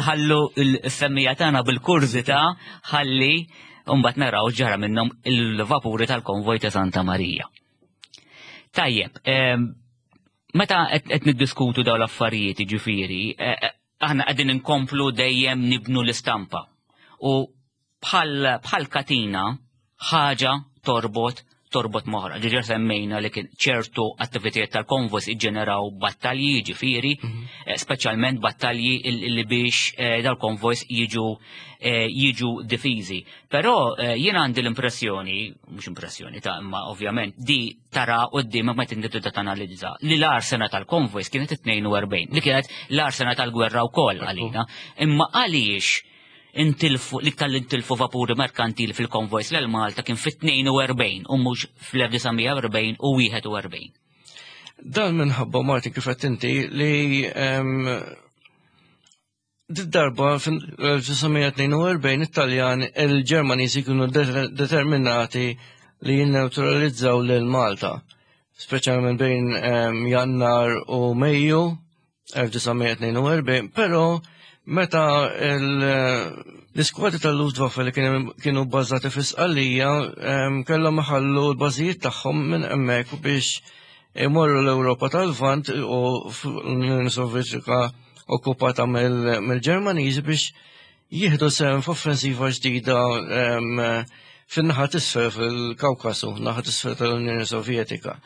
Nħallu l-semmija tagħna bil-kurżità ħalli mbagħad naraw ġara minnhom il-vapuri tal-konvoj ta' Santa Marija. Tajjeb, meta qed niddiskutu dawn l-affarijiet, ġifieri, eh, eh, aħna qegħdin inkomplu dejjem nibnu l-istampa. U bħal katina ħaġa torbot torbot m'oħra. Diġà semmejna li kien ċertu attivitajiet tal-konvojs iġġeneraw battalji, ġifieri, mhm. eh, speċjalment battalji li biex eh, dal-konvojs jiġu eh, jiġu difiżi. Però jien għandi l-impressjoni, mhux impressjoni ta' imma ovvjament di tara quddiem ma inti tibda tanalizza, li l-agħar sena tal-konvojs kienet it-tnejn u erbgħin, li kienet l-agħar sena tal-gwerra wkoll għalina. Imma għaliex intilfu l-iktar li intilfu vapuri merkantili fil-konvojs lil Malta kien fit-tnejn u erbgħin u mhux fl-elf disa' mija u erbgħin u wieħed u erbgħin? Dan minħabba, Martin, kif qed inti, li darba fil-elf disa' mija u tnejn u erbgħin Italjan il-Ġermaniżi kienu determinati li jinneutralizzaw lil Malta, speċjalment bejn Jannar u Mejju elf disa' mija u tnejn u erbgħin, però meta l-iskwadri tal-Luftwaffe li kienu bbażati fi Sqallija kellhom iħallu l-bażijiet tagħhom minn hemmhekk biex imorru l-Ewropa tal-Lvant u l-Unjoni Sovjetika okkupata mill-Ġermaniżi biex jieħdu sehem f'offensiva ġdida fin-naħa t'isfel fil-Kawkasu, naħa t'isfel tal-Unjoni Sovjetika.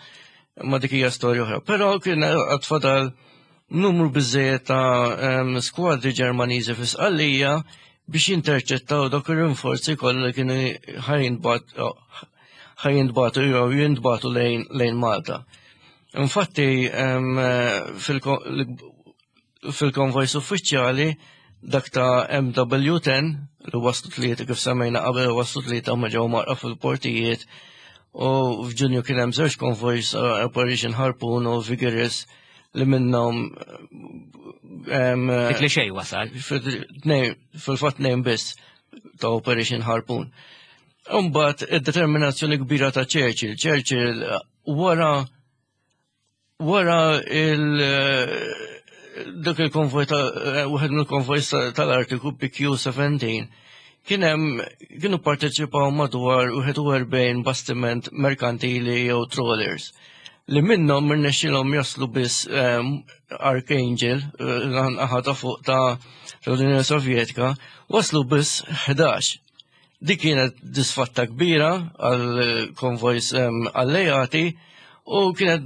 Ma dik hija storja oħra. Però kien għad fadal numru biżejjed ta' skwadri Ġermaniżi fi Sqallija biex jinterċettaw dawk ir-rinforzi kollha li kienu ħa jintbagħtu jew jintbagħtu lejn Malta. Infatti, fil-konvojs uffiċjali, dak ta' M W ten li waslu tlieta, kif semmejna qabel, waslu tlieta ma ġew mgħarrqa fil-portijiet, u f'Ġunju kien hemm żewġ konvojs, Operation Harpoon u Vigorous, li minnhom Dik li xej wasal. Fil-fatt tnejn biss ta' Operation Harpoon. Imbagħad id-determinazzjoni kbira ta' Churchill. Churchill wara Wara il dak il-konvoj ta' wieħed mill-konvoj tal-Artiku B Q seventeen kien hemm kienu parteċipaw madwar wieħed u erbgħin bastiment merkantili jew trawlers li minnhom irnexxielhom jaslu biss Archangel, naħa ta' fuq ta' l-Unjoni Sovjetika, waslu biss ħdax. Dik kienet disfatta kbira għal konvojs alleati u kienet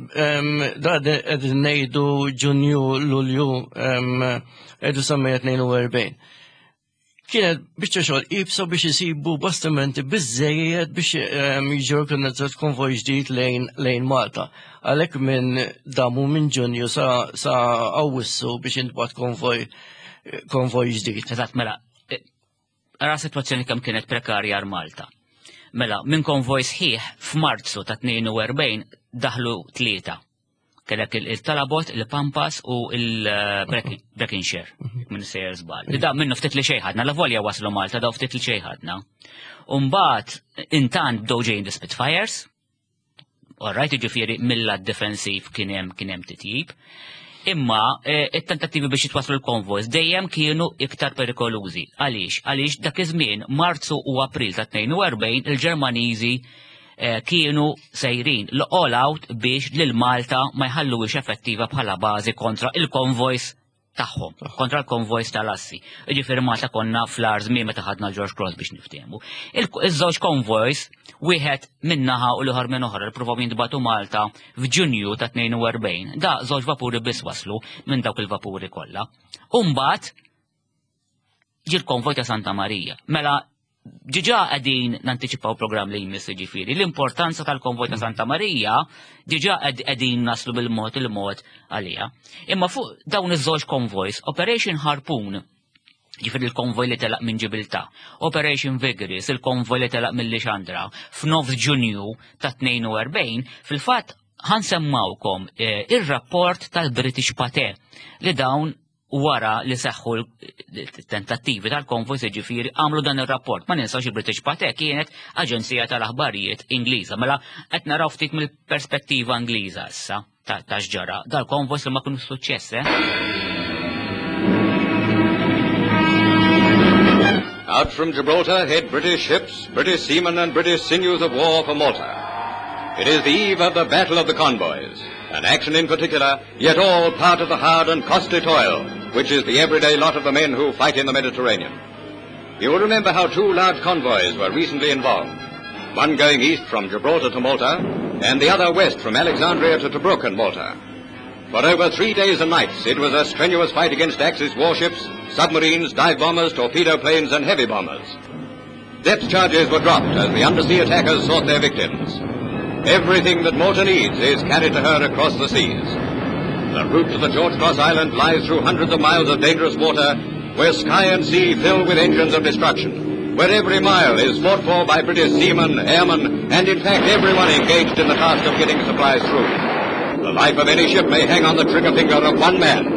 da qegħdin ngħidu Ġunju, Lulju elf disa' mija tnejn u erbgħin. Kienet biċċa xogħol iebsa biex isibu bastimenti biżejjed biex jiġi organizzat konvoj ġdid lejn lejn Malta. Għalhekk minn damu minn Ġunju sa sa Awwissu biex jintbagħat konvoj konvoj ġdid. Eżatt, mela, ara situazzjoni kemm kienet prekarja għal Malta. Mela, minn konvoj sħiħ f'Marzu ta' tnejn u erbgħin daħlu tlieta. Kellek il-Talabot, il-Pampas u il-Breconshire, minn sejjer żball. Li da minnu ftit li xejn ħadna, la volja waslu Malta, daw ftit li xejn ħadna. Umbagħad, intant bdew ġejjin the Spitfires, alright, ġifieri mill-lat defensiv kien hemm kien hemm titjib. Imma it-tentattivi biex jitwaslu l-konvojs dejjem kienu iktar perikolużi. Għaliex? Għaliex dak iż-żmien Marzu u April ta' tnejn u erbgħin il-Ġermaniżi kienu sejrin l-all out biex lil Malta ma jħalluwix effettiva bħala bażi kontra il-konvojs tagħhom, kontra l-konvojs tal-assi. Ġifieri Malta konna fl-agħar żmien meta ħadna George Cross biex niftehmu. Iż-żewġ konvojs, wieħed minnaħa u l-ieħor minn oħra, ippruvaw jintbagħtu Malta f'Ġunju ta' tnejn u erbgħin. Da żewġ vapuri biss waslu minn dawk il-vapuri kollha. Umbagħad ġie l-konvoj ta' Santa Marija. Mela diġà qegħdin nantiċipaw programm li jmiss, ġifieri. L-importanza tal-konvoj ta' Santa Marija diġà qegħdin naslu bil-mod il-mod għalija. Imma fuq dawn iż-żewġ konvojs, Operation Harpoon, ġifieri il-konvoj li telaq minn Ġibiltà, Operation Vigorous, il-konvoj li telaq minn Lixandra, f'nofs Ġunju ta' tnejn u erbgħin, fil-fatt ħa nsemmgħukom eh, ir-rapport tal-British Pathé li dawn wara li seħħu l-tentattivi tal-konvoj, ġifieri għamlu dan ir-rapport. Ma ninsawx il-British Pathé kienet aġenzija tal-aħbarijiet Ingliża. Mela qed naraw ftit mill-perspettiva Ingliża issa ta' x'ġara. Dal-konvoj li ma kienu suċċess, eh? Out from Gibraltar head British ships, British seamen and British sinews of war for Malta. It is the eve of the Battle of the Convoys, an action in particular, yet all part of the hard and costly toil, which is the everyday lot of the men who fight in the Mediterranean. You will remember how two large convoys were recently involved, one going east from Gibraltar to Malta, and the other west from Alexandria to Tobruk and Malta. For over three days and nights, it was a strenuous fight against Axis warships, submarines, dive bombers, torpedo planes, and heavy bombers. Depth charges were dropped as the undersea attackers sought their victims. Everything that Malta needs is carried to her across the seas. The route to the George Cross Island lies through hundreds of miles of dangerous water, where sky and sea fill with engines of destruction, where every mile is fought for by British seamen, airmen, and in fact everyone engaged in the task of getting supplies through. The life of any ship may hang on the trigger finger of one man.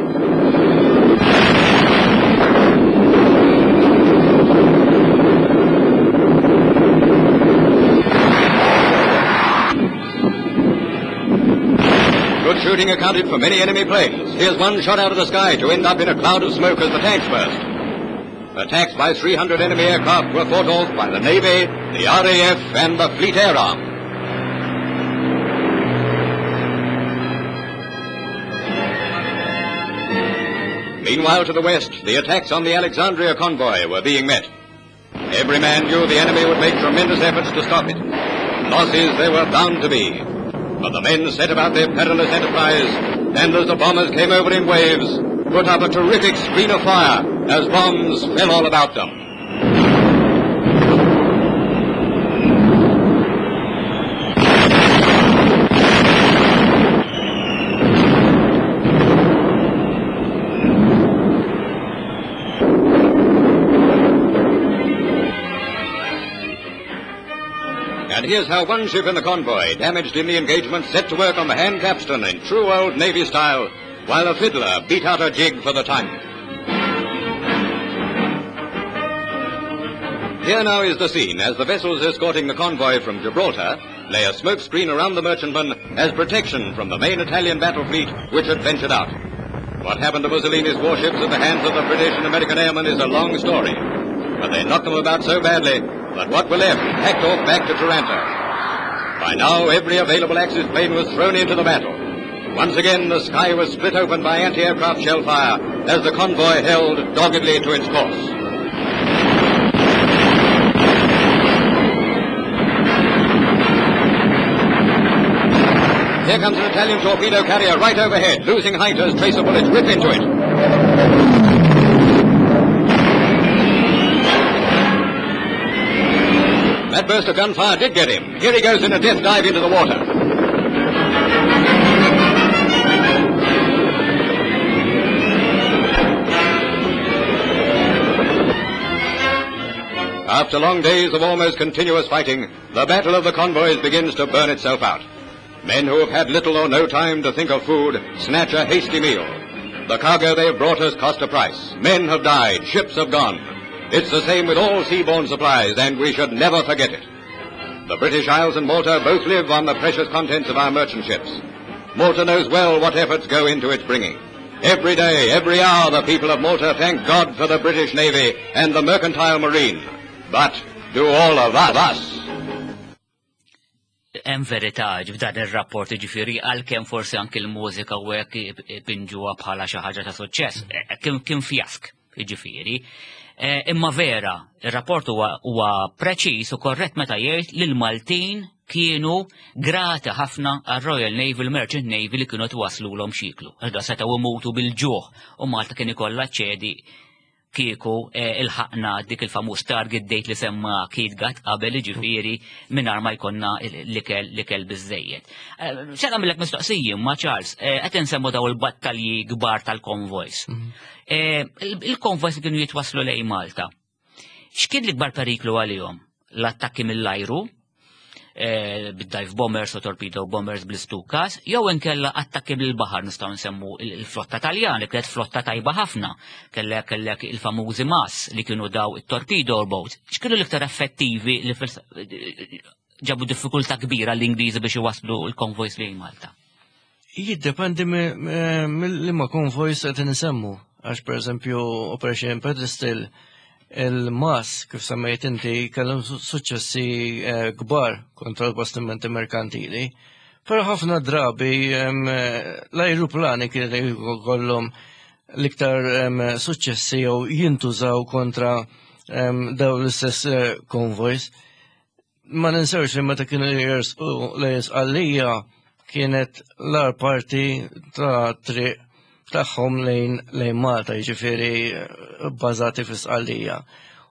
Good shooting accounted for many enemy planes. Here's one shot out of the sky to end up in a cloud of smoke as the tanks burst. Attacks by three hundred enemy aircraft were fought off by the Navy, the R A F, and the Fleet Air Arm. Meanwhile, to the west, the attacks on the Alexandria convoy were being met. Every man knew the enemy would make tremendous efforts to stop it. Losses there were bound to be. But the men set about their perilous enterprise, and as the bombers came over in waves, put up a terrific screen of fire as bombs fell all about them. And here's how one ship in the convoy, damaged in the engagement, set to work on the hand capstan in true old Navy style, while a fiddler beat out a jig for the time. Here now is the scene as the vessels escorting the convoy from Gibraltar lay a smoke screen around the merchantman as protection from the main Italian battle fleet which had ventured out. What happened to Mussolini's warships at the hands of the British and American airmen is a long story, but they knocked them about so badly that what were left packed off back to Taranto. By now, every available Axis plane was thrown into the battle. Once again, the sky was split open by anti-aircraft shell fire as the convoy held doggedly to its course. Here comes an Italian torpedo carrier right overhead, losing height as tracer bullets rip into it. That burst of gunfire did get him. Here he goes in a death dive into the water. After long days of almost continuous fighting, the battle of the convoys begins to burn itself out. Men who have had little or no time to think of food snatch a hasty meal. The cargo they have brought has cost a price. Men have died, ships have gone. It's the same with all seaborne supplies, and we should never forget it. The British Isles and Malta both live on the precious contents of our merchant ships. Malta knows well what efforts go into its bringing. Every day, every hour, the people of Malta thank God for the British Navy and the mercantile marine. But do all of us? Hemm verità f'dan ir-rapport, ġifieri għalkemm forsi anke l-mużika u hekk pinġuha bħala xi ħaġa ta' suċċess, kien kien fjask, ġifieri. Imma vera, ir-rapport huwa preċiż u korrett meta jgħid li l-Maltin kienu grati ħafna għar-Royal Navy, l-Merchant Navy li kienu twaslulhom xiklu. Għax setgħu imutu bil-ġuħ u Malta kien ikollha ċedi kieku il-ħaqna dik il-famuż target date li semma Keith Gatt qabel, ġifieri mingħajr ma jkollna l-ikel l-ikel biżejjed. Se nagħmellek mistoqsija ma Charles, qed insemmu daw il-battalji kbar tal-konvojs. Il-konvojs li kienu jitwaslu lejn Malta. X'kien l-ikbar periklu għalihom? L-attakki mill-ajru, bid-dive bombers u torpedo bombers bl-istukas, jew inkella attakki bil-baħar, nistgħu nsemmu il-flotta Taljana, kienet flotta tajba ħafna, kellek kellek il-famużi MAS li kienu daw it-torpedo boats. X'kienu l-iktar effettivi li ġabu diffikultà kbira l-Ingliżi biex iwaslu l-konvojs lejn Malta? Jiddependi mill-liema konvojs qed insemmu, għax pereżempju Operation Pedestal, il-MAS, kif semmejt inti, kellhom suċċessi kbar kontra l-bastimenti merkantili, però ħafna drabi l-ajruplani kienu jkollhom l-iktar suċċessi jew jintużaw kontra dawn l-istess konvojs. Ma ninsewx li meta kienu jersqu lejn Sqallija kienet l-ar parti ta' triq tagħhom lejn lejn Malta, jiġifieri bbażati fi Sqallija.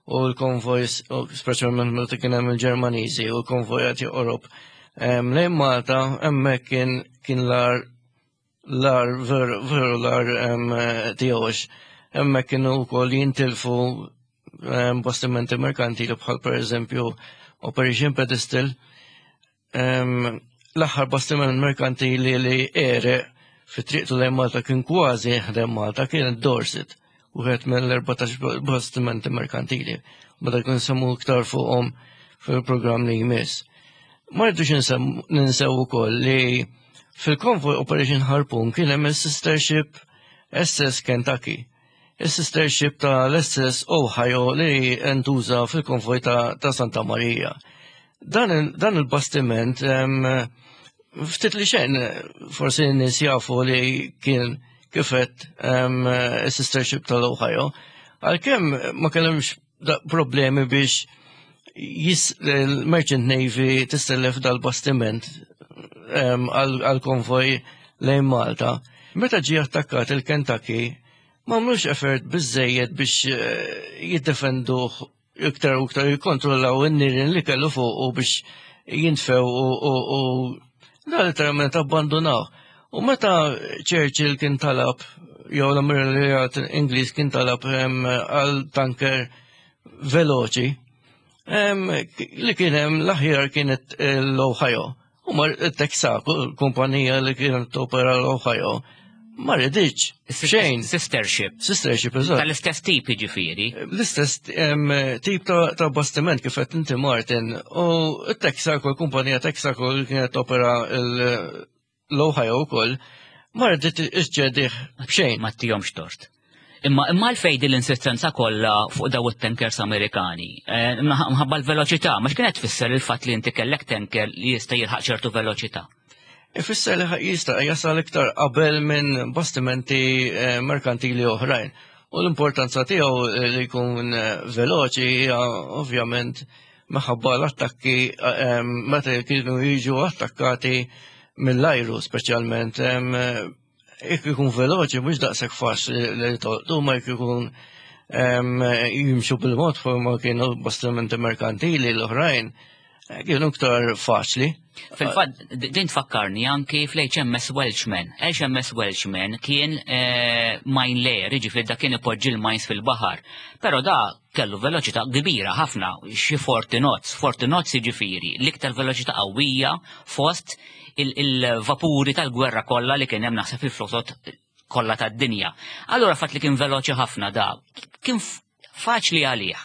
U l-konvojs, speċjalment meta kien hemm il-Ġermaniżi u l-konvojat joqrob lejn Malta, hemmhekk kien kien l-ar l-ar veru l-ar tiegħu. Hemmhekk kienu wkoll jintilfu bastimenti merkantili bħal pereżempju Operation Pedestal. L-aħħar bastiment merkantili li għereq fi triqtu lejn Malta kien kważi ħdem Malta kien Dorset, wieħed mill-erbatax bastimenti merkantili. Meta jkun semmu iktar fuqhom fil-programm li jmiss. Ma rridux ninsew ukoll li fil-konvoj Operation Harpoon kien hemm is-sister ship S S Kentucky, is-sister ship tal-S S Ohio li ntuża fil-konvoj ta' Santa Maria. Dan il-bastiment ftit li xejn forsi n-nies jafu li kien kifet is-sister ship tal-Ohio, għalkemm ma kellhomx problemi biex il-Merchant Navy tistellef dal-bastiment għal-konvoj lejn Malta. Meta ġie attakkat il-Kentucky, ma għamlux effort biżejjed biex jiddefenduh iktar u iktar, jikkontrollaw in-nirien li kellu fuq u biex jintfew u da literalment abbandonaw. U meta Churchill kien talab, jew l-Ammiraljat Ingliż kien talab għal tanker veloċi, li kien hemm l-aħjar kienet l-Ohio. U mar Texaco, l-kumpanija li kienet topera l-Ohio, Ma riditx. Xejn. Sister ship. Sister ship, eżatt. Tal-istess tip jiġifieri. L-istess tip ta' bastiment kif qed inti Martin. U t-Texaco, l-kumpanija Texaco li kienet opera l-Ohio wkoll, ma ridit iġġedih b'xejn. Ma tihomx tort. Imma imma l-fejdi l-insistenza kollha fuq daw it-tankers Amerikani. Mħabba l-veloċità, ma x'kienet tfisser il-fatt li inti kellek tanker li jista' jilħaq ċertu veloċità? Ifisser li jista' jasal iktar qabel minn bastimenti merkantili oħrajn. U l-importanza tiegħu li jkun veloċi hija ovvjament minħabba l-attakki meta kienu jiġu attakkati mill-ajru speċjalment. Jekk ikun veloċi mhux daqshekk faċli li tolqtu, ma jekk ikun jimxu bil-mod ma kienu bastimenti merkantili l-oħrajn kienu iktar faċli. Fil-fatt, din tfakkarni anki fl-H M S Welshman. H M S Welshman kien mine layer, jiġifieri da kien ipoġġi l-mines fil-baħar. Però da kellu veloċità kbira ħafna, xi forty knots. forty knots jiġifieri l-iktar veloċità qawwija fost il-vapuri tal-gwerra kollha li kien hemm naħseb fil-flotot kollha tad-dinja. Allura fatt li kien veloċi ħafna da, kien faċli għalih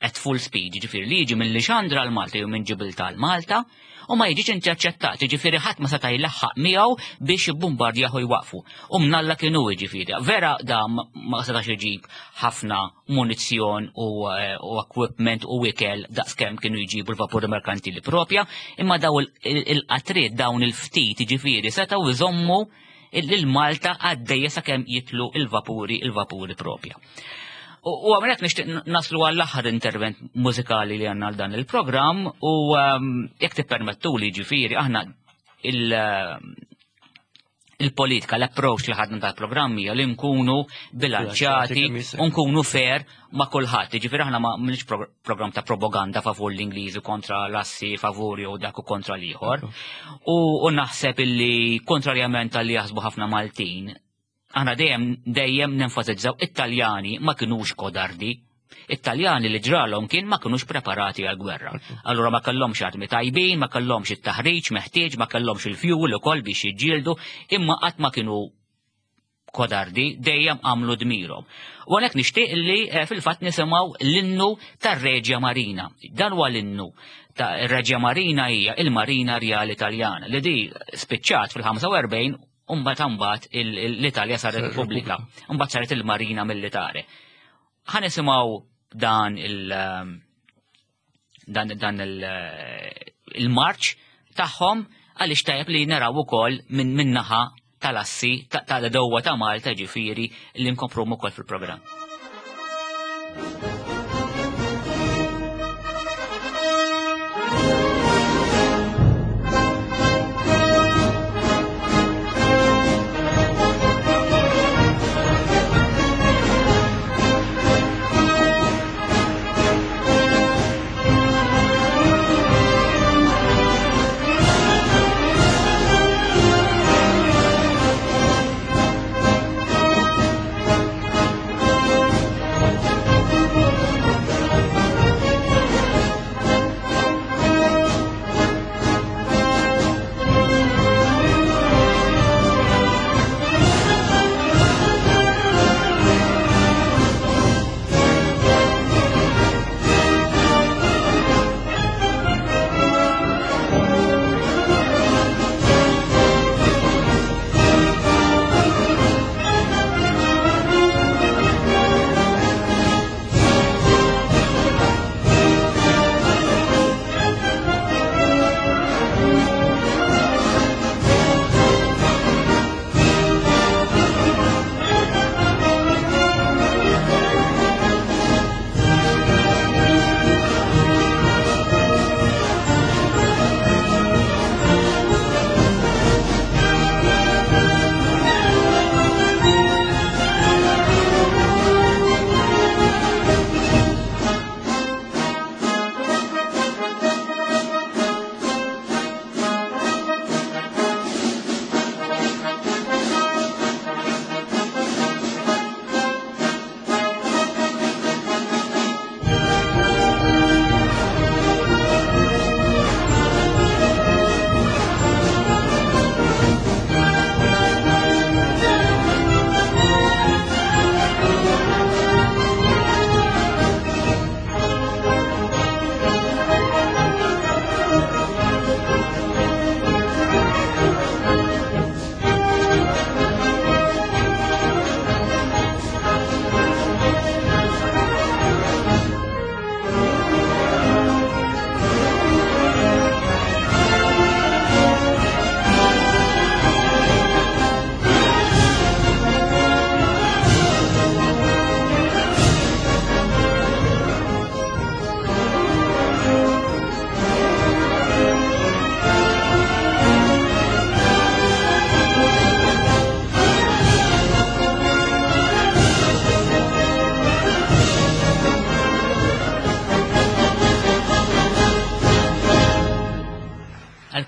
at full speed, jiġifieri li jiġi minn Lixandra għal Malta jew minn Ġibiltà għal Malta, u ma jiġix interċettat, jiġifieri ħadd ma seta' jlaħħaq miegħu biex jibbombardjahu u jwaqfu. U mnalla kienu jiġifieri. Vera da ma setax iġib ħafna munizzjon u, u equipment u ikel daqskemm kienu jġibu l-vapuri merkantili propja, imma daw il-qatriet dawn il-ftit jiġifieri setgħu jżommu il-Malta għaddejja sakemm jitlu il-vapuri il-vapuri propja. U għamret nixtieq naslu għall-aħħar intervent mużikali li għandna għal dan il-programm u jekk tippermettu li ġifieri aħna il-politika, l-approach li ħadna tal-programm hija li nkunu bilanċjati u nkunu fair ma' kulħadd. Ġifieri aħna ma m'għandniex programm ta' propaganda favur l-Ingliżi kontra l-assi, favur jew dak u kontra l-ieħor. U naħseb illi kontrarjament għal li jaħsbu ħafna Maltin, aħna dejjem dejjem nenfasizzaw it-Taljani ma kinux kodardi. It-Taljani li ġralhom kien ma kinux preparati għal-gwerra. Allura ma kellhomx armi tajbin, ma kellhomx it-taħriġ meħtieġ, ma kellhomx il-fuel ukoll biex jiġġieldu, imma qatt ma kienu kodardi, dejjem għamlu dmirhom. U għalhekk nixtieq li fil-fatt nisimgħu l-innu tar-Reġja Marina. Dan huwa l-innu ta' Reġja Marina hija il-Marina Rjali Taljana li di spiċċat fil-ħamsa u erbgħin Umbat mbagħad l-Italja saret Repubblika, mbagħad saret il-Marina Militare. Ħa nisimgħu dan il dan dan il-marċ tagħhom għaliex tajjeb li naraw ukoll minn min-naħa tal-assi tal-dewwa ta' Malta ġifieri li nkompru ukoll fil-programm. Thank you.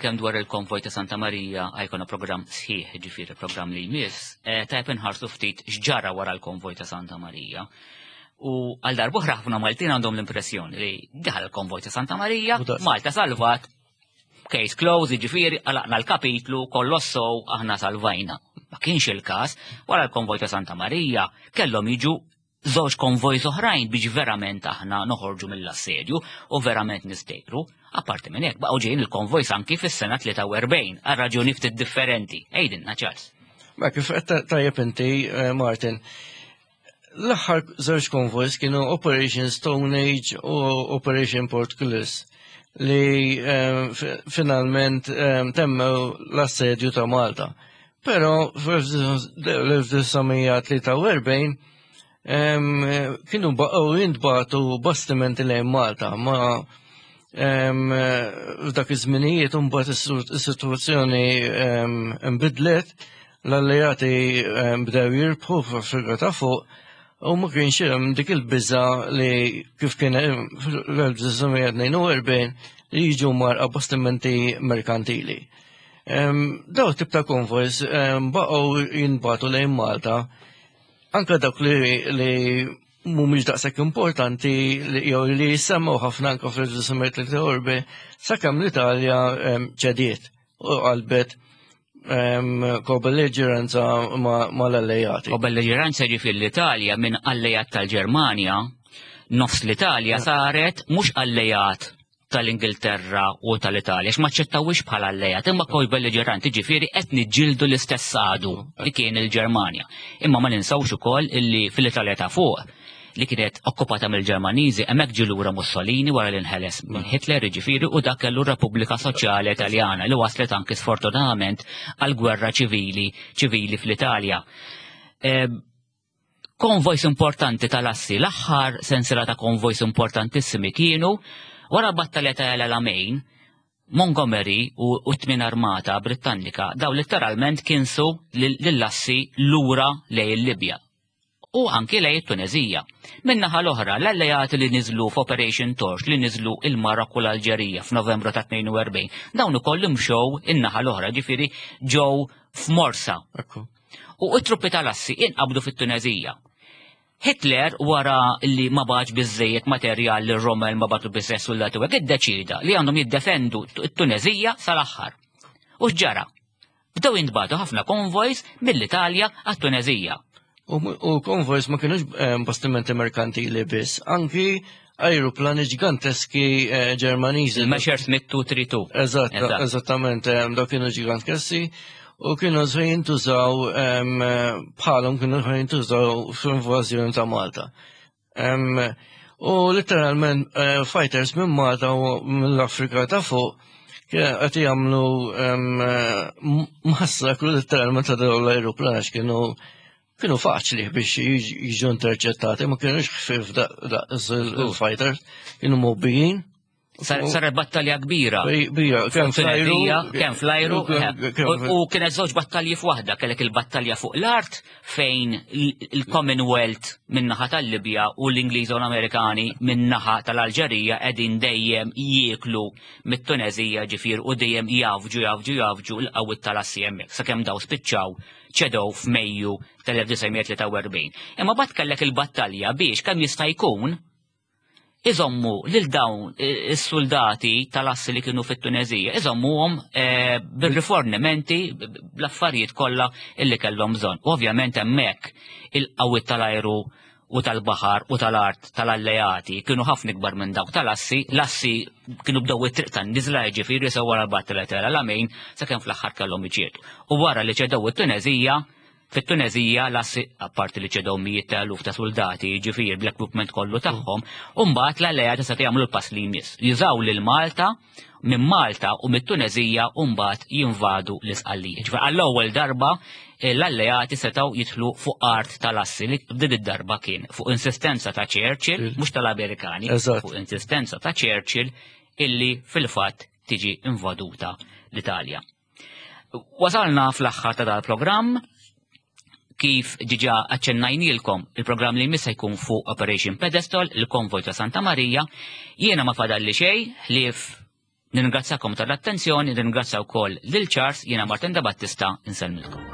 Għalkemm dwar il-konvoj ta' Santa Marija ħa jkollna programm sħiħ, ġifieri programm li jmiss, eh, tajb inħarsu ftit x'ġara wara l-konvoj ta' Santa Marija. U għal darb'oħra ħafna Maltin għandhom l-impressjoni li daħal il-konvoj ta' Santa Marija, U daqs. Malta salvat, case close, ġifieri, għalaqna l-kapitlu, kollox sew, aħna salvajna. Ma kienx il-kas, wara l-konvoj ta' Santa Marija, kellhom jiġu żewġ konvoj oħrajn biex verament aħna noħorġu mill-assedju u verament nistejru. Apparti minn hekk baqgħu ġejjin il-konvoj anki fis-sena tlieta u erbgħin għal raġuni ftit differenti. Għidilna, Charles. Ma kif qed tajjeb inti, eh, Martin, l-aħħar żewġ konvojs kienu Operation Stone Age u Operation Portcullis li eh, fi- finalment eh, temmew l-assedju ta' Malta. Però fl-elf disa' mija tlieta u erbgħin em, kienu baqgħu jintbagħtu bastimenti lejn Malta ma em, f'dak iż-żminijiet imbagħad is-sitwazzjoni em, nbidlet, l-alleati em, bdew jirbħu f'Afrika ta' Fuq u ma kienx hemm dik il-biża li kif kien hemm fl-elf disa' mija tnejn u erbgħin li jiġu mgħarrqa bastimenti merkantili. Em, Daw tip ta' konvojs em, baqgħu jintbagħtu lejn Malta anka dawk li, li mhumiex daqshekk importanti li jew li jissemmew ħafna anka fl-elf disa' mija tlieta u erbgħin sakemm l-Italja em, ċediet u qalbet em, ko-belliġeranza mal-alleati. U belliġeranza, ġifieri l-Italja minn alleat tal-Ġermanja, nofs l-Italja saret mhux alleat tal-Ingilterra u tal-Italja, x'ma ċċettawix bħala alleat, imma kol belliġeranti, ġifieri qed niġġieldu l-istess għadu li kien il-Ġermanja. Imma ma ninsawx ukoll illi fil-Italja ta' Fuq li kienet okkupata mill-Ġermaniżi, hemmhekk ġie lura Mussolini wara li nħeles minn Hitler, ġifieri, u dak kellu Repubblika Soċjali Italjana li waslet anki sfortunatament għal gwerra ċivili ċivili fl-Italja. Eh, Konvojs importanti tal-assi, l-aħħar sensiela ta' konvojs importantissimi kienu wara battalja ta' El Alamein. Montgomery u u t-tmin armata Britannika daw letteralment kinsu lill-assi lura lejn il-Libja u anki lejn it-Tunezija. Min-naħa l-oħra, l-alleati li niżlu f'Operation Torch, li niżlu il-Marokku u l-Alġerija f'Novembru ta' tnejn u erbgħin, dawn ukoll imxew in-naħa l-oħra, ġifieri ġew f'Morsa. Ekku. U t-truppi tal-assi inqabdu fit-Tunezija. Hitler, wara li ma bagħatx biżejjed materjal li Rommel, ma bagħatlu biżejjed soldati u hekk, iddeċida li għandhom jiddefendu t-Tunezija sal-aħħar. U x'ġara? Bdew jintbagħtu ħafna konvojs mill-Italja għat-Tunezija. U, u konvojs ma kienux eh, bastimenti merkantili biss, anki aeroplani ġiganteski eh, Ġermaniżi. Il-Messerschmitt dnejn tlieta tnejn. Eżatt, Eżatt. eżattament, eh, dawk kienu ġiganteski u kienu se jintużaw em, eh, bħalhom kienu se jintużaw fl-invażjoni ta' Malta. Em, U letteralment eh, fighters minn Malta u mill-Afrika ta' Fuq kien qed jagħmlu em, eh, massakru letteralment ta' dawn l-aeroplani għax kienu kienu faċli biex jiġ- jiġu interċettati, ma kienux ħfif daqs il-fighters, kienu mobbijin. Sar- Saret battalja kbira. Bija, kemm fl-ajru, Tunezija, kemm fl-ajru, kemm- kemm- u u kienet żewġ battalji f'waħda, kellek il-battalja fuq l-art fejn il- il-Commonwealth min-naħa tal-Libja u l-Ingliżi u l-Amerikani min-naħa tal-Alġerija qegħdin dejjem jieklu mit-Tunezija, ġifier, u dejjem jafġu jafġu jafġu l-qawwiet tal-assi hemmhekk sakemm daw spiċċaw ċedew f'Mejju tal-elf disa' mija tlieta u erbgħin. Imma mbagħad kellek il-battalja biex kemm jista' jkun iżommu lil dawn eh, is-soldati tal-assi li kienu fit-Tunezija, iżommuhom eh, bil-rifornimenti, bl-affarijiet kollha illi kellhom bżonn. U ovvjament hemmhekk il-qawwiet tal-ajru u tal-baħar u tal-art tal-alleati kienu ħafna ikbar minn dawk tal-assi, l-assi kienu bdew it-triq tan-niżla, ġifieri sew wara l-battalja tal-Alamein sakemm fl-aħħar kellhom iċedu. U wara li ċedew it-Tunezija, fit-Tunezija l-assi, apparti li ċedew mijiet ta' eluf ta' soldati, ġifieri bl-equipment kollu tagħhom, u mbagħad l-alleati se jagħmlu l-pass li jmiss. Jużaw lil Malta, minn Malta u mit-Tunezija u mbagħad jinvadu l-Isqallija. Ġifieri għall-ewwel darba eh, l-alleati setgħu jidħlu fuq art tal-assi li din id-darba kien fuq insistenza ta' Churchill, mhux tal-Amerikani, Eżatt. fuq insistenza ta' Churchill illi fil-fatt tiġi invaduta l-Italja. Wasalna fl-aħħar ta' dal-programm. Kif diġà aċċennajnilkom, il-programm li jmiss se jkun fuq Operation Pedestal, il-konvoj ta' Santa Maria. Jiena ma fadalli xejn ħlief Nirringrazzakom tal-attenzjoni, nirringrazzja wkoll lil Charles, jiena Martin da Battista, insellmilkom.